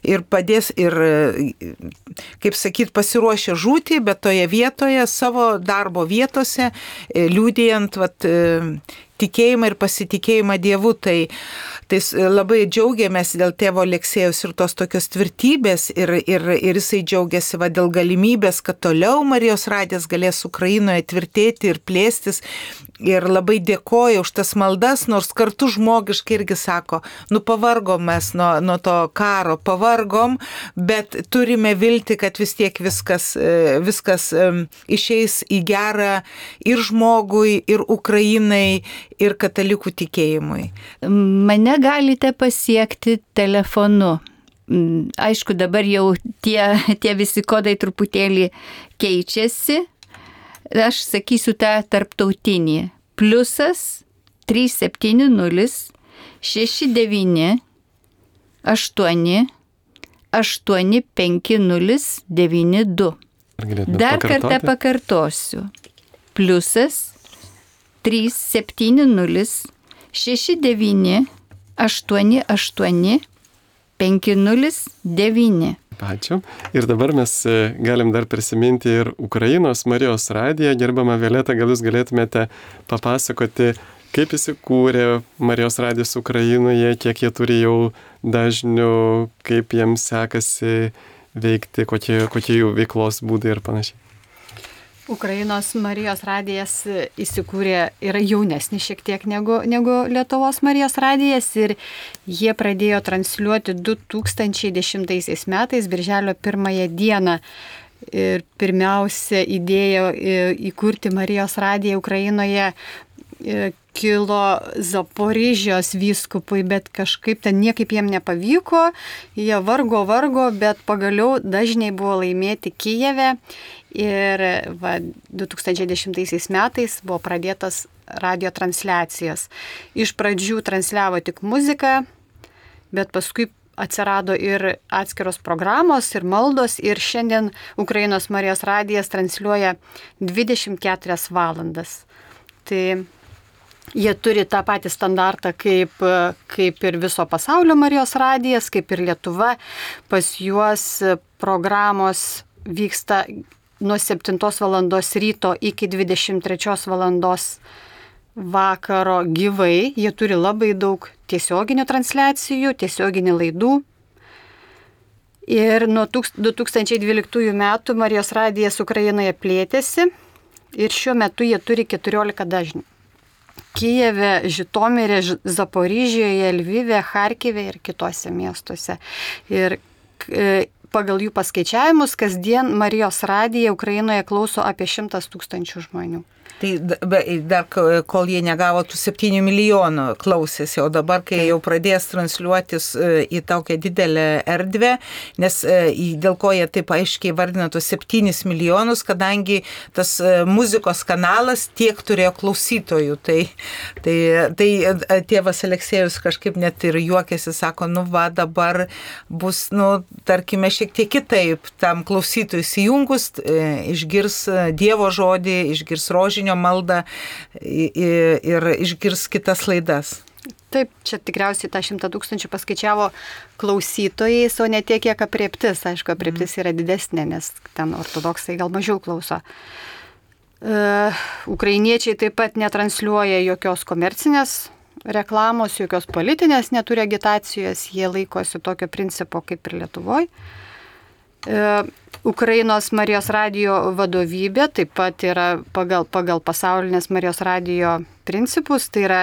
ir padės ir, kaip sakyt, pasiruošę žūti, bet toje vietoje, savo darbo vietose, liudijant, vat, tikėjimą ir pasitikėjimą Dievu, tai, tai labai džiaugiamės dėl tėvo Aleksėjaus ir tos tokios tvirtybės ir, ir, ir jisai džiaugiasi va, dėl galimybės, kad toliau Marijos radijas galės Ukrainoje tvirtėti ir plėstis ir labai dėkoja už tas maldas, nors kartu žmogiškai irgi sako, nu pavargom mes nuo, nuo to karo, pavargom, bet turime vilti, kad vis tiek viskas, viskas išeis į gerą ir žmogui, ir Ukrainai, ir katalikų tikėjimui. Mane galite pasiekti telefonu. Aišku, dabar jau tie, tie visi kodai truputėlį keičiasi. Aš sakysiu tą tarptautinį. Pliusas trys septyni nulis šeši devyni aštuoni aštuoni penki nulis devyni du. Dar kartą pakartosiu. Pliusas trys septyni nulis šeši devyni aštuoni aštuoni penki nulis devyni. Ačiū. Ir dabar mes galim dar prisiminti ir Ukrainos Marijos radiją. Gerbama Violeta, gal jūs galėtumėte papasakoti, kaip įsikūrė Marijos radijas Ukrainoje, kiek jie turi jau dažnių, kaip jiems sekasi veikti, kokie, kokie jų veiklos būdai ir panašiai. Ukrainos Marijos radijas įsikūrė, yra jaunesnis šiek tiek negu, negu Lietuvos Marijos radijas ir jie pradėjo transliuoti du tūkstančiai dešimtaisiais metais, birželio pirmąją dieną. Ir pirmiausia idėja įkurti Marijos radiją Ukrainoje kilo Zaporižijos vyskupui, bet kažkaip ten niekaip jiem nepavyko, jie vargo, vargo, bet pagaliau dažniai buvo laimėti Kijeve. Ir va, du tūkstančiai dešimtaisiais metais buvo pradėtas radio transliacijas. Iš pradžių transliavo tik muziką, bet paskui atsirado ir atskiros programos ir maldos ir šiandien Ukrainos Marijos radijas transliuoja dvidešimt keturias valandas. Tai jie turi tą patį standartą kaip, kaip ir viso pasaulio Marijos radijas, kaip ir Lietuva. Pas juos programos vyksta nuo septintos valandos ryto iki dvidešimt trečios valandos vakaro gyvai. Jie turi labai daug tiesioginių transliacijų, tiesioginių laidų. Ir nuo du tūkstančiai dvyliktųjų metų Marijos radijas Ukrainoje plėtėsi ir šiuo metu jie turi keturiolika dažnių. Kijeve, Žitomire, Zaporižijoje, Lvive, Charkive ir kitose miestuose. Ir pagal jų paskaičiavimus, kasdien Marijos radiją Ukrainoje klauso apie šimtas tūkstančių žmonių. Tai dar kol jie negavo tų septynių milijonų klausėsi, o dabar, kai jau pradės transliuotis į tokią didelę erdvę, nes dėl ko jie taip aiškiai vardina tos septynis milijonus, kadangi tas muzikos kanalas tiek turėjo klausytojų. Tai, tai, tai tėvas Aleksėjus kažkaip net ir juokėsi, sako, nu va, dabar bus, nu, tarkime, šiek tiek kitaip tam klausytojui įsijungus, išgirs Dievo žodį, išgirs rožinį maldą ir išgirs kitas laidas. Taip, čia tikriausiai tą šimtą tūkstančių paskaičiavo klausytojais, o ne tiek, kiek aprieptis. Aišku, aprieptis yra didesnė, nes ten ortodoksai gal mažiau klauso. Uh, ukrainiečiai taip pat netransliuoja jokios komercinės reklamos, jokios politinės neturi agitacijos, jie laikosi tokio principo kaip ir Lietuvoje. Uh, Ukrainos Marijos radijo vadovybė taip pat yra pagal, pagal pasaulinės Marijos radijo principus, tai yra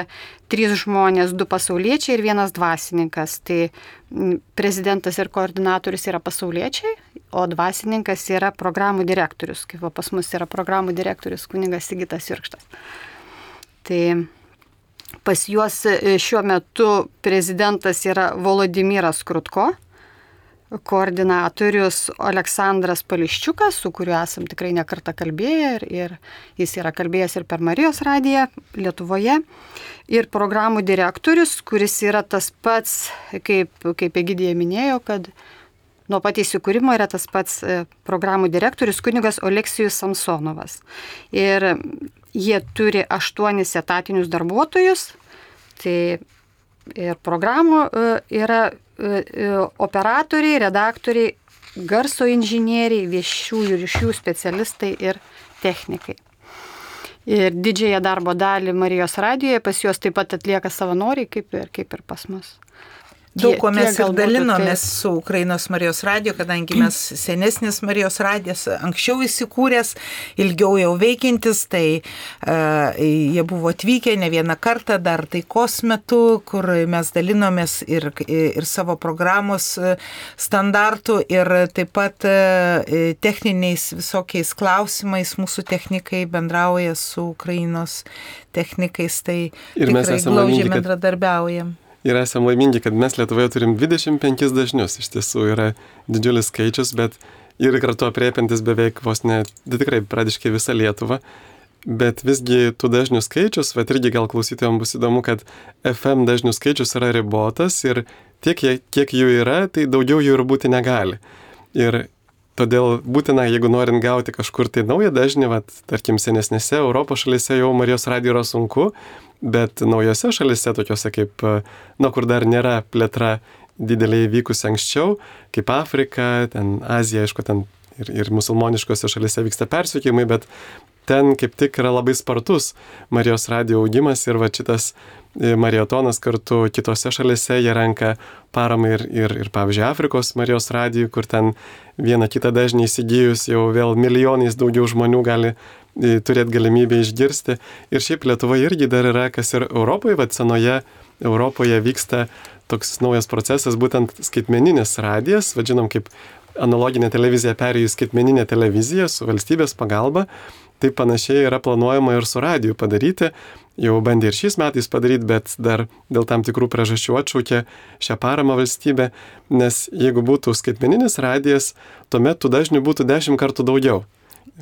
trys žmonės, du pasauliečiai ir vienas dvasininkas. Tai prezidentas ir koordinatorius yra pasauliečiai, o dvasininkas yra programų direktorius, kaip pas mus yra programų direktorius kunigas Sigitas Jurkštas. Tai pas juos šiuo metu prezidentas yra Volodimiras Krutko, koordinatorius Aleksandras Pališčiukas, su kuriuo esam tikrai nekartą kalbėję ir, ir jis yra kalbėjęs ir per Marijos radiją Lietuvoje. Ir programų direktorius, kuris yra tas pats, kaip, kaip Egidija minėjo, kad nuo pat įsikūrimo yra tas pats programų direktorius kunigas Oleksijus Samsonovas. Ir jie turi aštuonis etatinius darbuotojus, tai ir programų yra operatoriai, redaktoriai, garso inžinieriai, viešųjų ryšių specialistai ir technikai. Ir didžiąją darbo dalį Marijos radijoje pas juos taip pat atlieka savanoriai, kaip ir, kaip ir pas mus. Daug ko mes ir dalinomės su Ukrainos Marijos radijo, kadangi mes senesnis Marijos radijas anksčiau įsikūręs, ilgiau jau veikiantis, tai uh, jie buvo atvykę ne vieną kartą dar taikos metu, kur mes dalinomės ir, ir savo programos standartų ir taip pat uh, techniniais visokiais klausimais mūsų technikai bendrauja su Ukrainos technikais, tai ir tikrai glaudžiai bendradarbiaujam. Ir esame laimingi, kad mes Lietuvoje turim dvidešimt penkis dažnius. Iš tiesų yra didžiulis skaičius, bet ir kartu apriepiantis beveik vos ne, tikrai pradiškai visą Lietuvą. Bet visgi tų dažnių skaičius, bet irgi gal klausytojams bus įdomu, kad F M dažnių skaičius yra ribotas ir tiek, kiek jų yra, tai daugiau jų ir būti negali. Ir todėl būtina, jeigu norint gauti kažkur tai naują dažnį, vat, tarkim, senesnėse Europos šalyse jau Marijos radijo yra sunku, bet naujose šalyse, tokiuose kaip, na, kur dar nėra plėtra dideliai vykusi anksčiau, kaip Afrika, ten Azija, aišku, ten ir, ir musulmoniškose šalyse vyksta persekiojimai, bet ten kaip tik yra labai spartus Marijos radijo augimas ir va šitas mariotonas kartu kitose šalyse, jie renka paramą ir, ir, ir pavyzdžiui, Afrikos Marijos radijų, kur ten vieną kitą dažnį įsigijus jau vėl milijonais daugiau žmonių gali turėti galimybę išgirsti. Ir šiaip Lietuvoje irgi dar yra, kas ir Europoje, va senoje Europoje vyksta toks naujas procesas, būtent skaitmeninis radijas, vadžinom, kaip analoginė televizija perėjo į skaitmeninę televiziją su valstybės pagalba. Taip panašiai yra planuojama ir su radiju padaryti. Jau bandė ir šiais metais padaryti, bet dar dėl tam tikrų priežasčių atšaukė šią paramą valstybę, nes jeigu būtų skaitmeninis radijas, tuomet tų dažnių būtų dešimt kartų daugiau.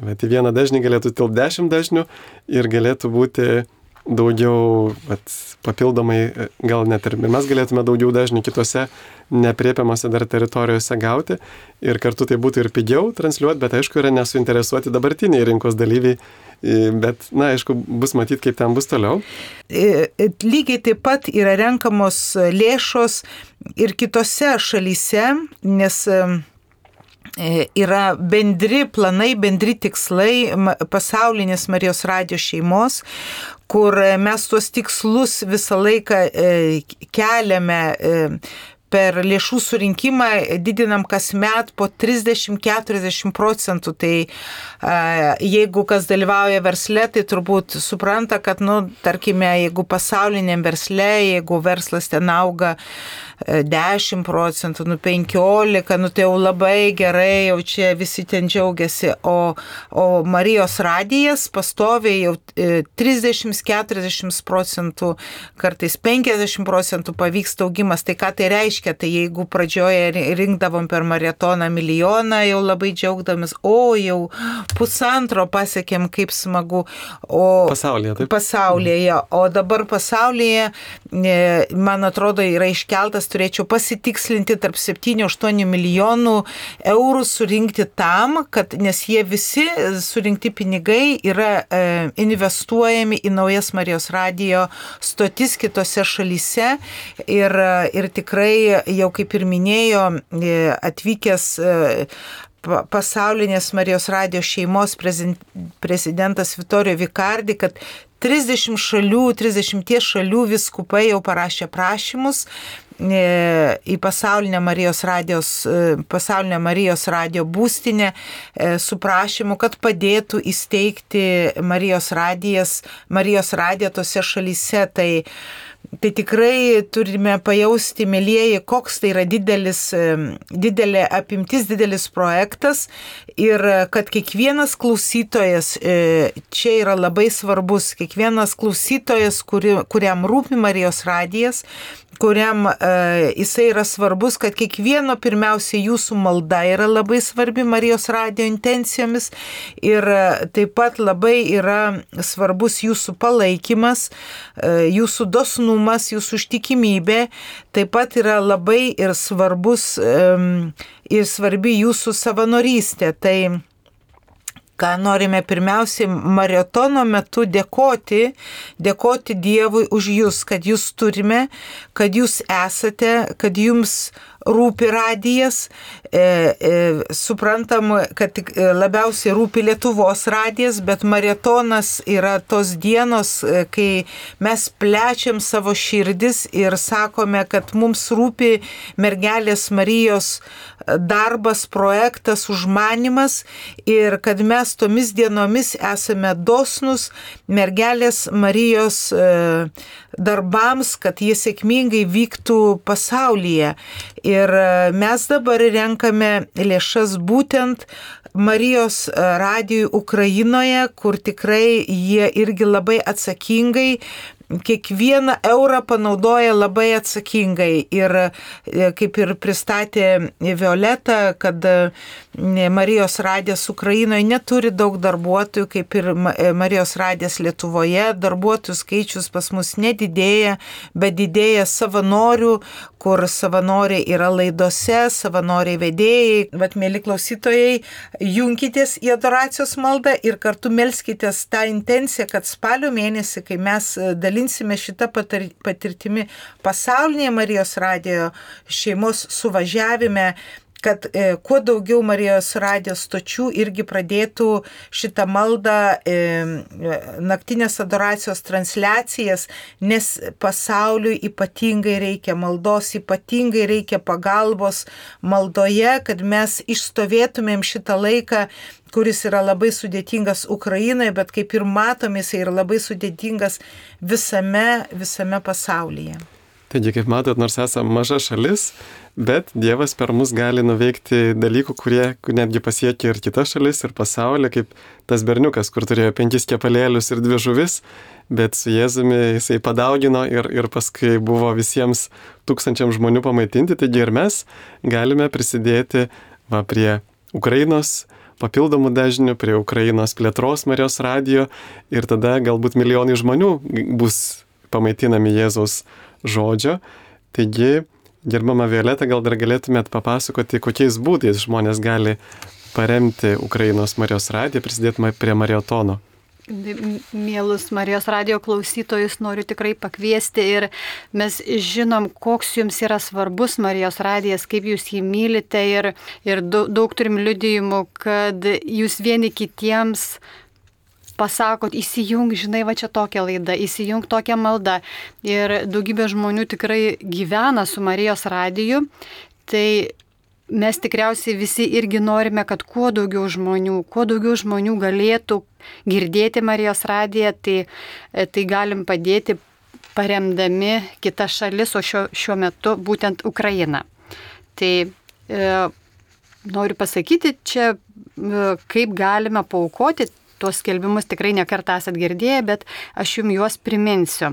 Bet į vieną dažnį galėtų tilpti dešimt dažnių ir galėtų būti daugiau, vat, papildomai, gal net ir mes galėtume daugiau dažnių kitose nepriepiamose dar teritorijose gauti ir kartu tai būtų ir pigiau transliuoti, bet aišku yra nesuinteresuoti dabartiniai rinkos dalyviai, bet, na, aišku, bus matyti, kaip ten bus toliau. Lygiai taip pat yra renkamos lėšos ir kitose šalyse, nes yra bendri planai, bendri tikslai pasaulinės Marijos radijo šeimos, kur mes tuos tikslus visą laiką keliame per lėšų surinkimą didinam kasmet po trisdešimt iki keturiasdešimt procentų. Tai jeigu kas dalyvauja versle, tai turbūt supranta, kad, nu, tarkime, jeigu pasauliniam versle, jeigu verslas ten auga dešimt procentų, nu penkiolika, nu tai jau labai gerai, jau čia visi ten džiaugiasi, o, o Marijos radijas pastoviai jau trisdešimt iki keturiasdešimt procentų, kartais penkiasdešimt procentų pavyksta augimas. Tai ką tai reiškia? Tai jeigu pradžioje rinkdavom per maratoną milijoną, jau labai džiaugdamis, o jau pusantro pasiekėm, kaip smagu. O pasaulyje, taip? Pasaulyje, o dabar pasaulyje, man atrodo, yra iškeltas, turėčiau pasitikslinti, tarp septynių aštuonių milijonų eurų surinkti tam, kad, nes jie visi surinkti pinigai yra e, investuojami į naujas Marijos radijo stotis kitose šalyse ir, ir tikrai, jau kaip ir minėjo, atvykęs e, pasaulinės Marijos radijo šeimos prezidentas Vittorio Vicardi, kad trisdešimt šalių, trisdešimt šalių viskupai jau parašė prašymus į pasaulinę Marijos radijos, pasaulinę Marijos radijo būstinę su prašymu, kad padėtų įsteigti Marijos radijas, Marijos radiją tose šalyse. Tai Tai tikrai turime pajausti, mielieji, koks tai yra didelis, didelė apimtis, didelis projektas ir kad kiekvienas klausytojas čia yra labai svarbus, kiekvienas klausytojas, kuri, kuriam rūpi Marijos radijas, kuriam e, jisai yra svarbus, kad kiekvieno pirmiausia jūsų malda yra labai svarbi Marijos radijo intencijomis ir taip pat labai yra svarbus jūsų palaikymas, e, jūsų dosnumas, jūsų ištikimybė, taip pat yra labai ir svarbus e, ir svarbi jūsų savanorystė. Tai ką norime pirmiausiai maratono metu dėkoti, dėkoti Dievui už jūs, kad jūs turime, kad jūs esate, kad jums rūpi radijas, e, e, suprantam, kad labiausiai rūpi Lietuvos radijas, bet maratonas yra tos dienos, kai mes plečiam savo širdis ir sakome, kad mums rūpi mergelės Marijos darbas, projektas, užmanimas ir kad mes tomis dienomis esame dosnus mergelės Marijos e, darbams, kad jie sėkmingai vyktų pasaulyje. Ir mes dabar renkame lėšas būtent Marijos radijui Ukrainoje, kur tikrai jie irgi labai atsakingai kiekvieną eurą panaudoja labai atsakingai ir kaip ir pristatė Violeta, kad Marijos radijas Ukrainoje neturi daug darbuotojų, kaip ir Marijos radijas Lietuvoje, darbuotojų skaičius pas mus nedidėja, bet didėja savanorių, kur savanoriai yra laidose, savanoriai vedėjai. Vat, mėly klausytojai, junkitės į adoracijos maldą ir kartu melskitės tą intenciją, kad spalio mėnesį, kai mes dalinsime šitą patirtimi pasaulinėje Marijos radijo šeimos suvažiavime, kad e, kuo daugiau Marijos radijos stočių irgi pradėtų šitą maldą, e, naktinės adoracijos transliacijas, nes pasauliui ypatingai reikia maldos, ypatingai reikia pagalbos maldoje, kad mes išstovėtumėm šitą laiką, kuris yra labai sudėtingas Ukrainoje, bet kaip ir matome, jis yra labai sudėtingas visame, visame pasaulyje. Taigi, kaip matot, nors esame maža šalis, bet Dievas per mus gali nuveikti dalykų, kurie netgi pasiekia ir kitas šalis, ir pasaulį, kaip tas berniukas, kur turėjo penkis kepalėlius ir dvi žuvis, bet su Jėzumi jisai padaugino ir, ir paskui buvo visiems tūkstančiam žmonių pamaitinti, taigi ir mes galime prisidėti va, prie Ukrainos papildomų dažnių, prie Ukrainos plėtros Marijos radijo ir tada galbūt milijonai žmonių bus pamaitinami Jėzaus žodžio. Taigi, gerbama Violeta, gal dar galėtumėt papasakoti, kokiais būdais žmonės gali paremti Ukrainos Marijos radiją, prisidėti prie maratono. Mielus Marijos radijo klausytojus noriu tikrai pakviesti ir mes žinom, koks jums yra svarbus Marijos radijas, kaip jūs jį mylite ir, ir daug, daug turim liudijimų, kad jūs vieni kitiems pasakot, įsijung, žinai, va čia tokia laida, įsijung tokia malda. Ir daugybė žmonių tikrai gyvena su Marijos radiju. Tai mes tikriausiai visi irgi norime, kad kuo daugiau žmonių, kuo daugiau žmonių galėtų girdėti Marijos radiją, tai, tai galim padėti paremdami kitas šalis, o šio, šiuo metu būtent Ukrainą. Tai e, noriu pasakyti čia, e, kaip galime paaukoti, tuos skelbimus tikrai nekartą esat girdėję, bet aš jums juos priminsiu.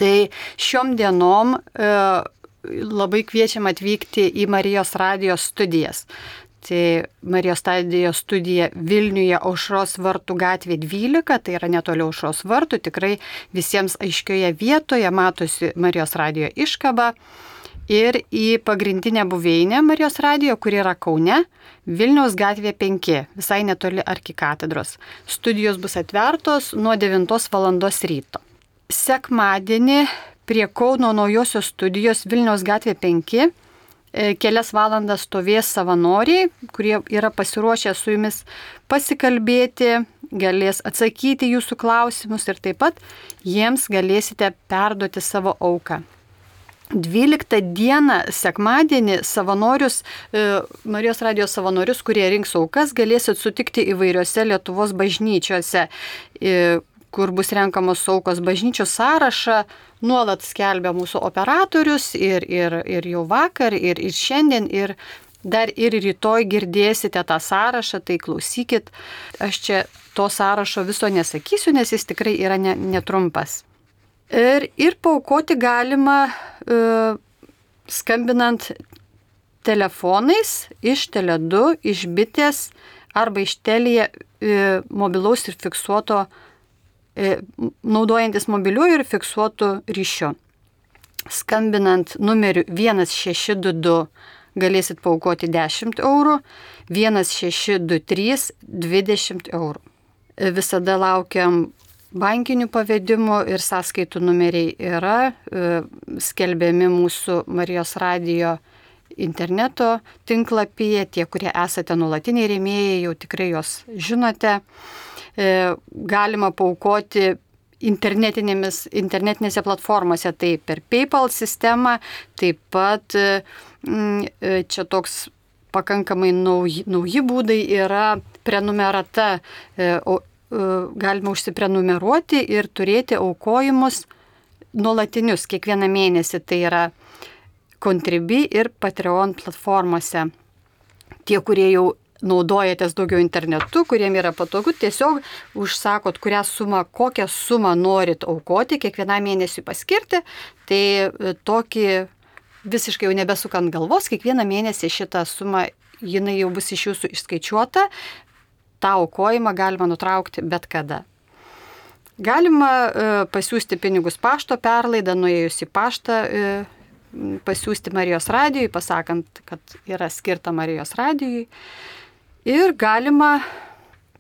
Tai šiom dienom e, labai kviečiam atvykti į Marijos radijos studijas. Tai Marijos radijos studija Vilniuje Aušros vartų gatvė dvylika, tai yra netoli Aušros vartų, tikrai visiems aiškioje vietoje matosi Marijos radijo iškaba. Ir į pagrindinę buveinę Marijos radijo, kuri yra Kaune, Vilniaus gatvė penki, visai netoli arkikatedros. Studijos bus atvertos nuo devintos valandos ryto. Sekmadienį prie Kauno naujosios studijos Vilniaus gatvė penki kelias valandas stovės savanoriai, kurie yra pasiruošę su jumis pasikalbėti, galės atsakyti jūsų klausimus ir taip pat jiems galėsite perduoti savo auką. dvyliktą dieną, sekmadienį, savanorius, Marijos radijos savanorius, kurie rinks aukas, galėsit sutikti įvairiose Lietuvos bažnyčiose, kur bus renkamos aukos. Bažnyčios sąrašą nuolat skelbia mūsų operatorius ir, ir, ir jau vakar, ir, ir šiandien, ir dar ir rytoj girdėsite tą sąrašą, tai klausykit. Aš čia to sąrašo viso nesakysiu, nes jis tikrai yra ne, netrumpas. Ir, ir paaukoti galima e, skambinant telefonais iš Tele du, iš Bitės arba iš Telia e, mobilaus ir fiksuoto naudojantis mobiliuoju ir fiksuotu ryšiu. Skambinant numeriu vienas šeši du du galėsit paaukoti dešimt eurų, vienas šeši du trys dvidešimt eurų. Visada laukiam bankinių pavedimų ir sąskaitų numeriai yra skelbiami mūsų Marijos radijo interneto tinklapyje. Tie, kurie esate nuolatiniai rėmėjai, jau tikrai jos žinote. Galima paaukoti internetinėse platformose, tai per PayPal sistemą, taip pat čia toks pakankamai nauji, nauji būdai yra prenumerata, galima užsiprenumeruoti ir turėti aukojimus nuolatinius kiekvieną mėnesį, tai yra Contribui ir Patreon platformose. Tie, kurie jau naudojatės daugiau internetu, kuriem yra patogu, tiesiog užsakot, kurią sumą, kokią sumą norit aukoti, kiekvieną mėnesį paskirti, tai tokį visiškai jau nebesukant galvos, kiekvieną mėnesį šitą sumą, jinai jau bus iš jūsų išskaičiuota, tą aukojimą galima nutraukti bet kada. Galima e, pasiūsti pinigus pašto perlaidą, nuėjus į paštą, e, pasiūsti Marijos radijui, pasakant, kad yra skirta Marijos radijui. Ir galima,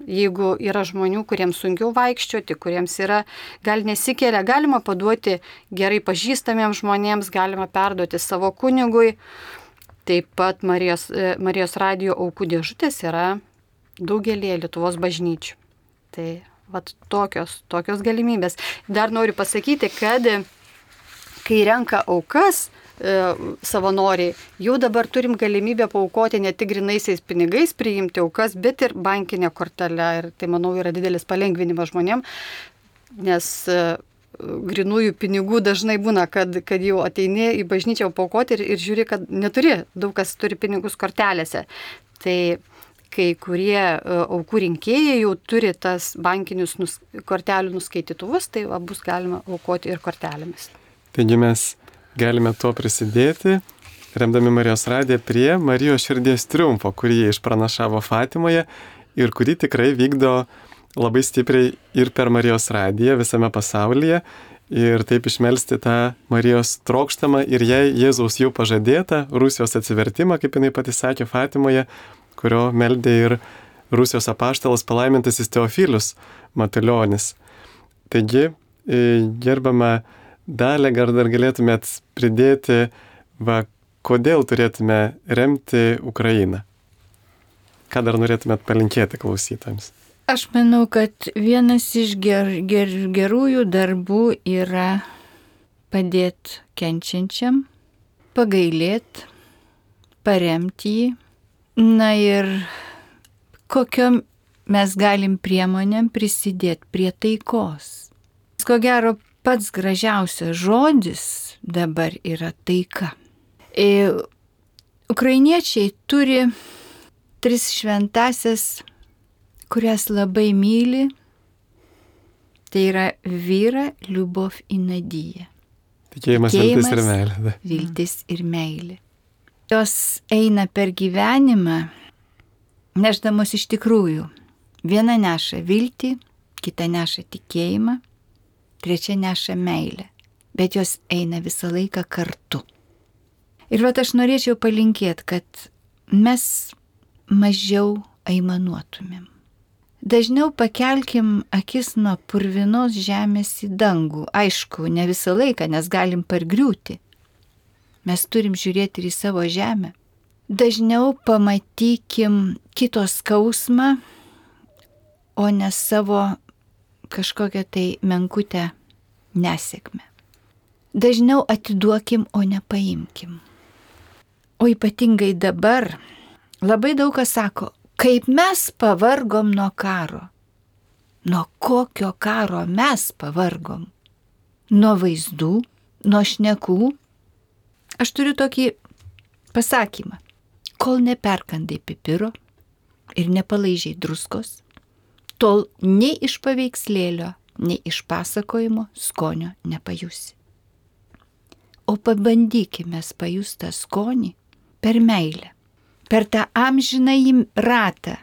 jeigu yra žmonių, kuriems sunkiau vaikščioti, kuriems yra, gal nesikelia, galima paduoti gerai pažįstamiems žmonėms, galima perduoti savo kunigui. Taip pat Marijos, Marijos radijo aukų dėžutės yra daugelį Lietuvos bažnyčių. Tai vat tokios, tokios galimybės. Dar noriu pasakyti, kad kai renka aukas, savanoriai, jau dabar turim galimybę paaukoti ne tik grinaisiais pinigais priimti aukas, bet ir bankinę kortelę. Ir tai, manau, yra didelis palengvinimas žmonėm, nes grinųjų pinigų dažnai būna, kad, kad jau ateini į bažnyčią paaukoti ir, ir žiūri, kad neturi, daug kas turi pinigus kortelėse. Tai kai kurie aukų rinkėjai jau turi tas bankinius nus, kortelių nuskaitytuvus, tai va, bus galima aukoti ir kortelėmis. Taigi mes galime tuo prisidėti, remdami Marijos radiją prie Marijos širdies triumfo, kurį jie išpranašavo Fatimoje ir kurį tikrai vykdo labai stipriai ir per Marijos radiją visame pasaulyje, ir taip išmelsti tą Marijos trokštamą ir jai Jėzaus jau pažadėtą Rusijos atsivertimą, kaip jinai pati sakė Fatimoje, kurio meldė ir Rusijos apaštalas palaimintasis Teofilius Matulionis. Taigi, gerbama Dalia, gal dar galėtumėt pridėti, va, kodėl turėtume remti Ukrainą? Ką dar norėtumėt palinkėti klausytojams? Aš manau, kad vienas iš ger, ger, gerųjų darbų yra padėti kenčiančiam, pagailėti, paremti jį. Na ir kokiom mes galim priemonėm prisidėti prie taikos. Ko gero, pats gražiausias žodis dabar yra taika. E, ukrainiečiai turi tris šventasias, kurias labai myli. Tai yra vyra, liubov į nadiją. Tikėjimas, viltis ir meilė. Viltis ir meilė. Jos eina per gyvenimą, nešdamos iš tikrųjų. Viena neša viltį, kita neša tikėjimą, trečia neša meilę. Bet jos eina visą laiką kartu. Ir vat aš norėčiau palinkėti, kad mes mažiau aimanuotumėm. Dažniau pakelkim akis nuo purvinos žemės į dangų. Aišku, ne visą laiką, nes galim pargriūti. Mes turim žiūrėti ir į savo žemę. Dažniau pamatykim kito skausmą, o ne savo kažkokią tai menkutę nesėkmę. Dažniau atiduokim, o ne paimkim. O ypatingai dabar labai daug kas sako, kaip mes pavargom nuo karo. Nuo kokio karo mes pavargom? Nuo vaizdų, nuo šnekų. Aš turiu tokį pasakymą. Kol neperkandai pipiro ir nepalaižiai druskos, tol nei iš paveikslėlio, nei iš pasakojimo skonio nepajusi. O pabandykime pajusti tą skonį per meilę, per tą amžinąjį ratą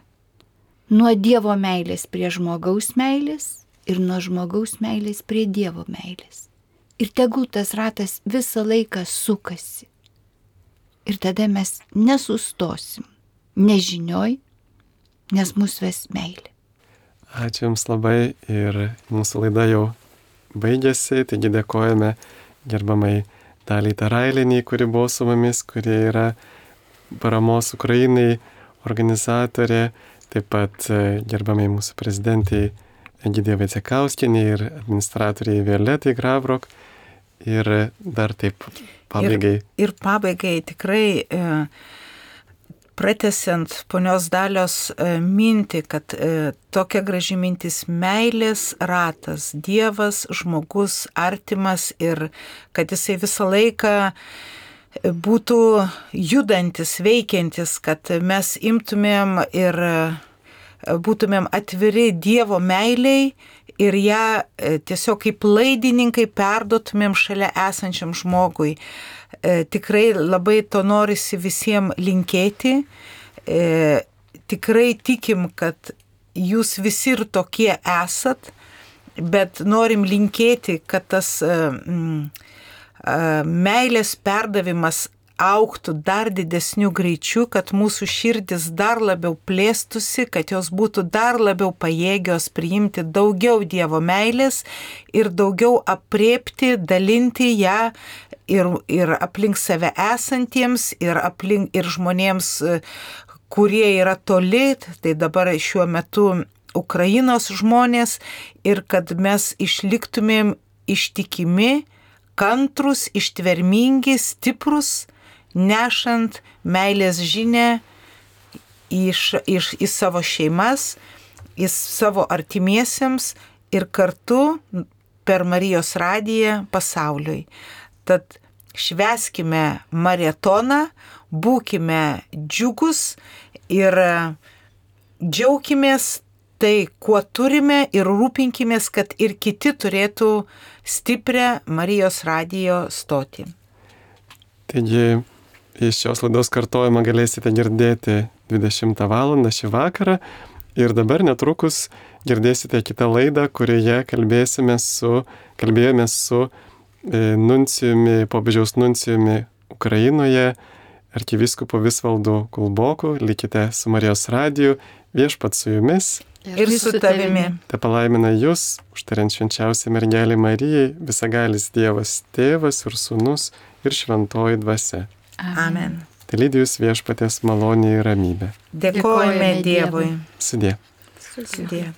nuo Dievo meilės prie žmogaus meilės ir nuo žmogaus meilės prie Dievo meilės. Ir tegul tas ratas visą laiką sukasi. Ir tada mes nesustosim nežinioj, nes mus ves meilė. Ačiū Jums labai ir mūsų laida jau baigėsi, taigi dėkojame gerbamai Daliai Tarailienei, kuri buvo su mumis, kuri yra paramos Ukrainai organizatorė, taip pat gerbamai mūsų prezidentai Egidijai Vaicekauskienei ir administratoriai Violetai Gravrok. Ir dar taip pabaigai. Ir, ir pabaigai tikrai e, pratęsiant ponios Dalios e, mintį, kad e, tokia graži mintis meilės ratas, Dievas, žmogus, artimas ir kad jisai visą laiką būtų judantis, veikiantis, kad mes imtumėm ir būtumėm atviri Dievo meiliai ir ją tiesiog kaip laidininkai perduotumėm šalia esančiam žmogui. E, tikrai labai to norisi visiems linkėti. E, tikrai tikim, kad jūs visi ir tokie esat, bet norim linkėti, kad tas e, e, meilės perdavimas augtų dar didesniu greičiu, kad mūsų širdis dar labiau plėstusi, kad jos būtų dar labiau pajėgios priimti daugiau Dievo meilės ir daugiau apriepti, dalinti ją ir, ir aplink save esantiems, ir, aplink, ir žmonėms, kurie yra toli, tai dabar šiuo metu Ukrainos žmonės, ir kad mes išliktumėm ištikimi, kantrus, ištvermingi, stiprus, nešant meilės žinę iš, iš, į savo šeimas, į savo artimiesiems ir kartu per Marijos radiją pasauliui. Tad švęskime maratoną, būkime džiugus ir džiaukimės tai, kuo turime, ir rūpinkimės, kad ir kiti turėtų stiprią Marijos radijo stotį. Taigi, iš šios laidos kartojimą galėsite girdėti dvidešimtą valandą šį vakarą ir dabar netrukus girdėsite kitą laidą, kurioje kalbėsime su, kalbėjome su e, nuncijumi, popiežiaus nuncijumi Ukrainoje, arkivyskupu Visvaldu Kulboku. Likite su Marijos radiju, viešpats su jumis. Ir su tavimi. Te palaimina jūs, užtariant švenčiausią mergelę Marijai, visagalis Dievas Tėvas ir Sūnus ir šventoji dvasia. Amen. Tai lydi jūs viešpaties malonė ir ramybė. Dėkojame Dievui. Sudie. Sudie.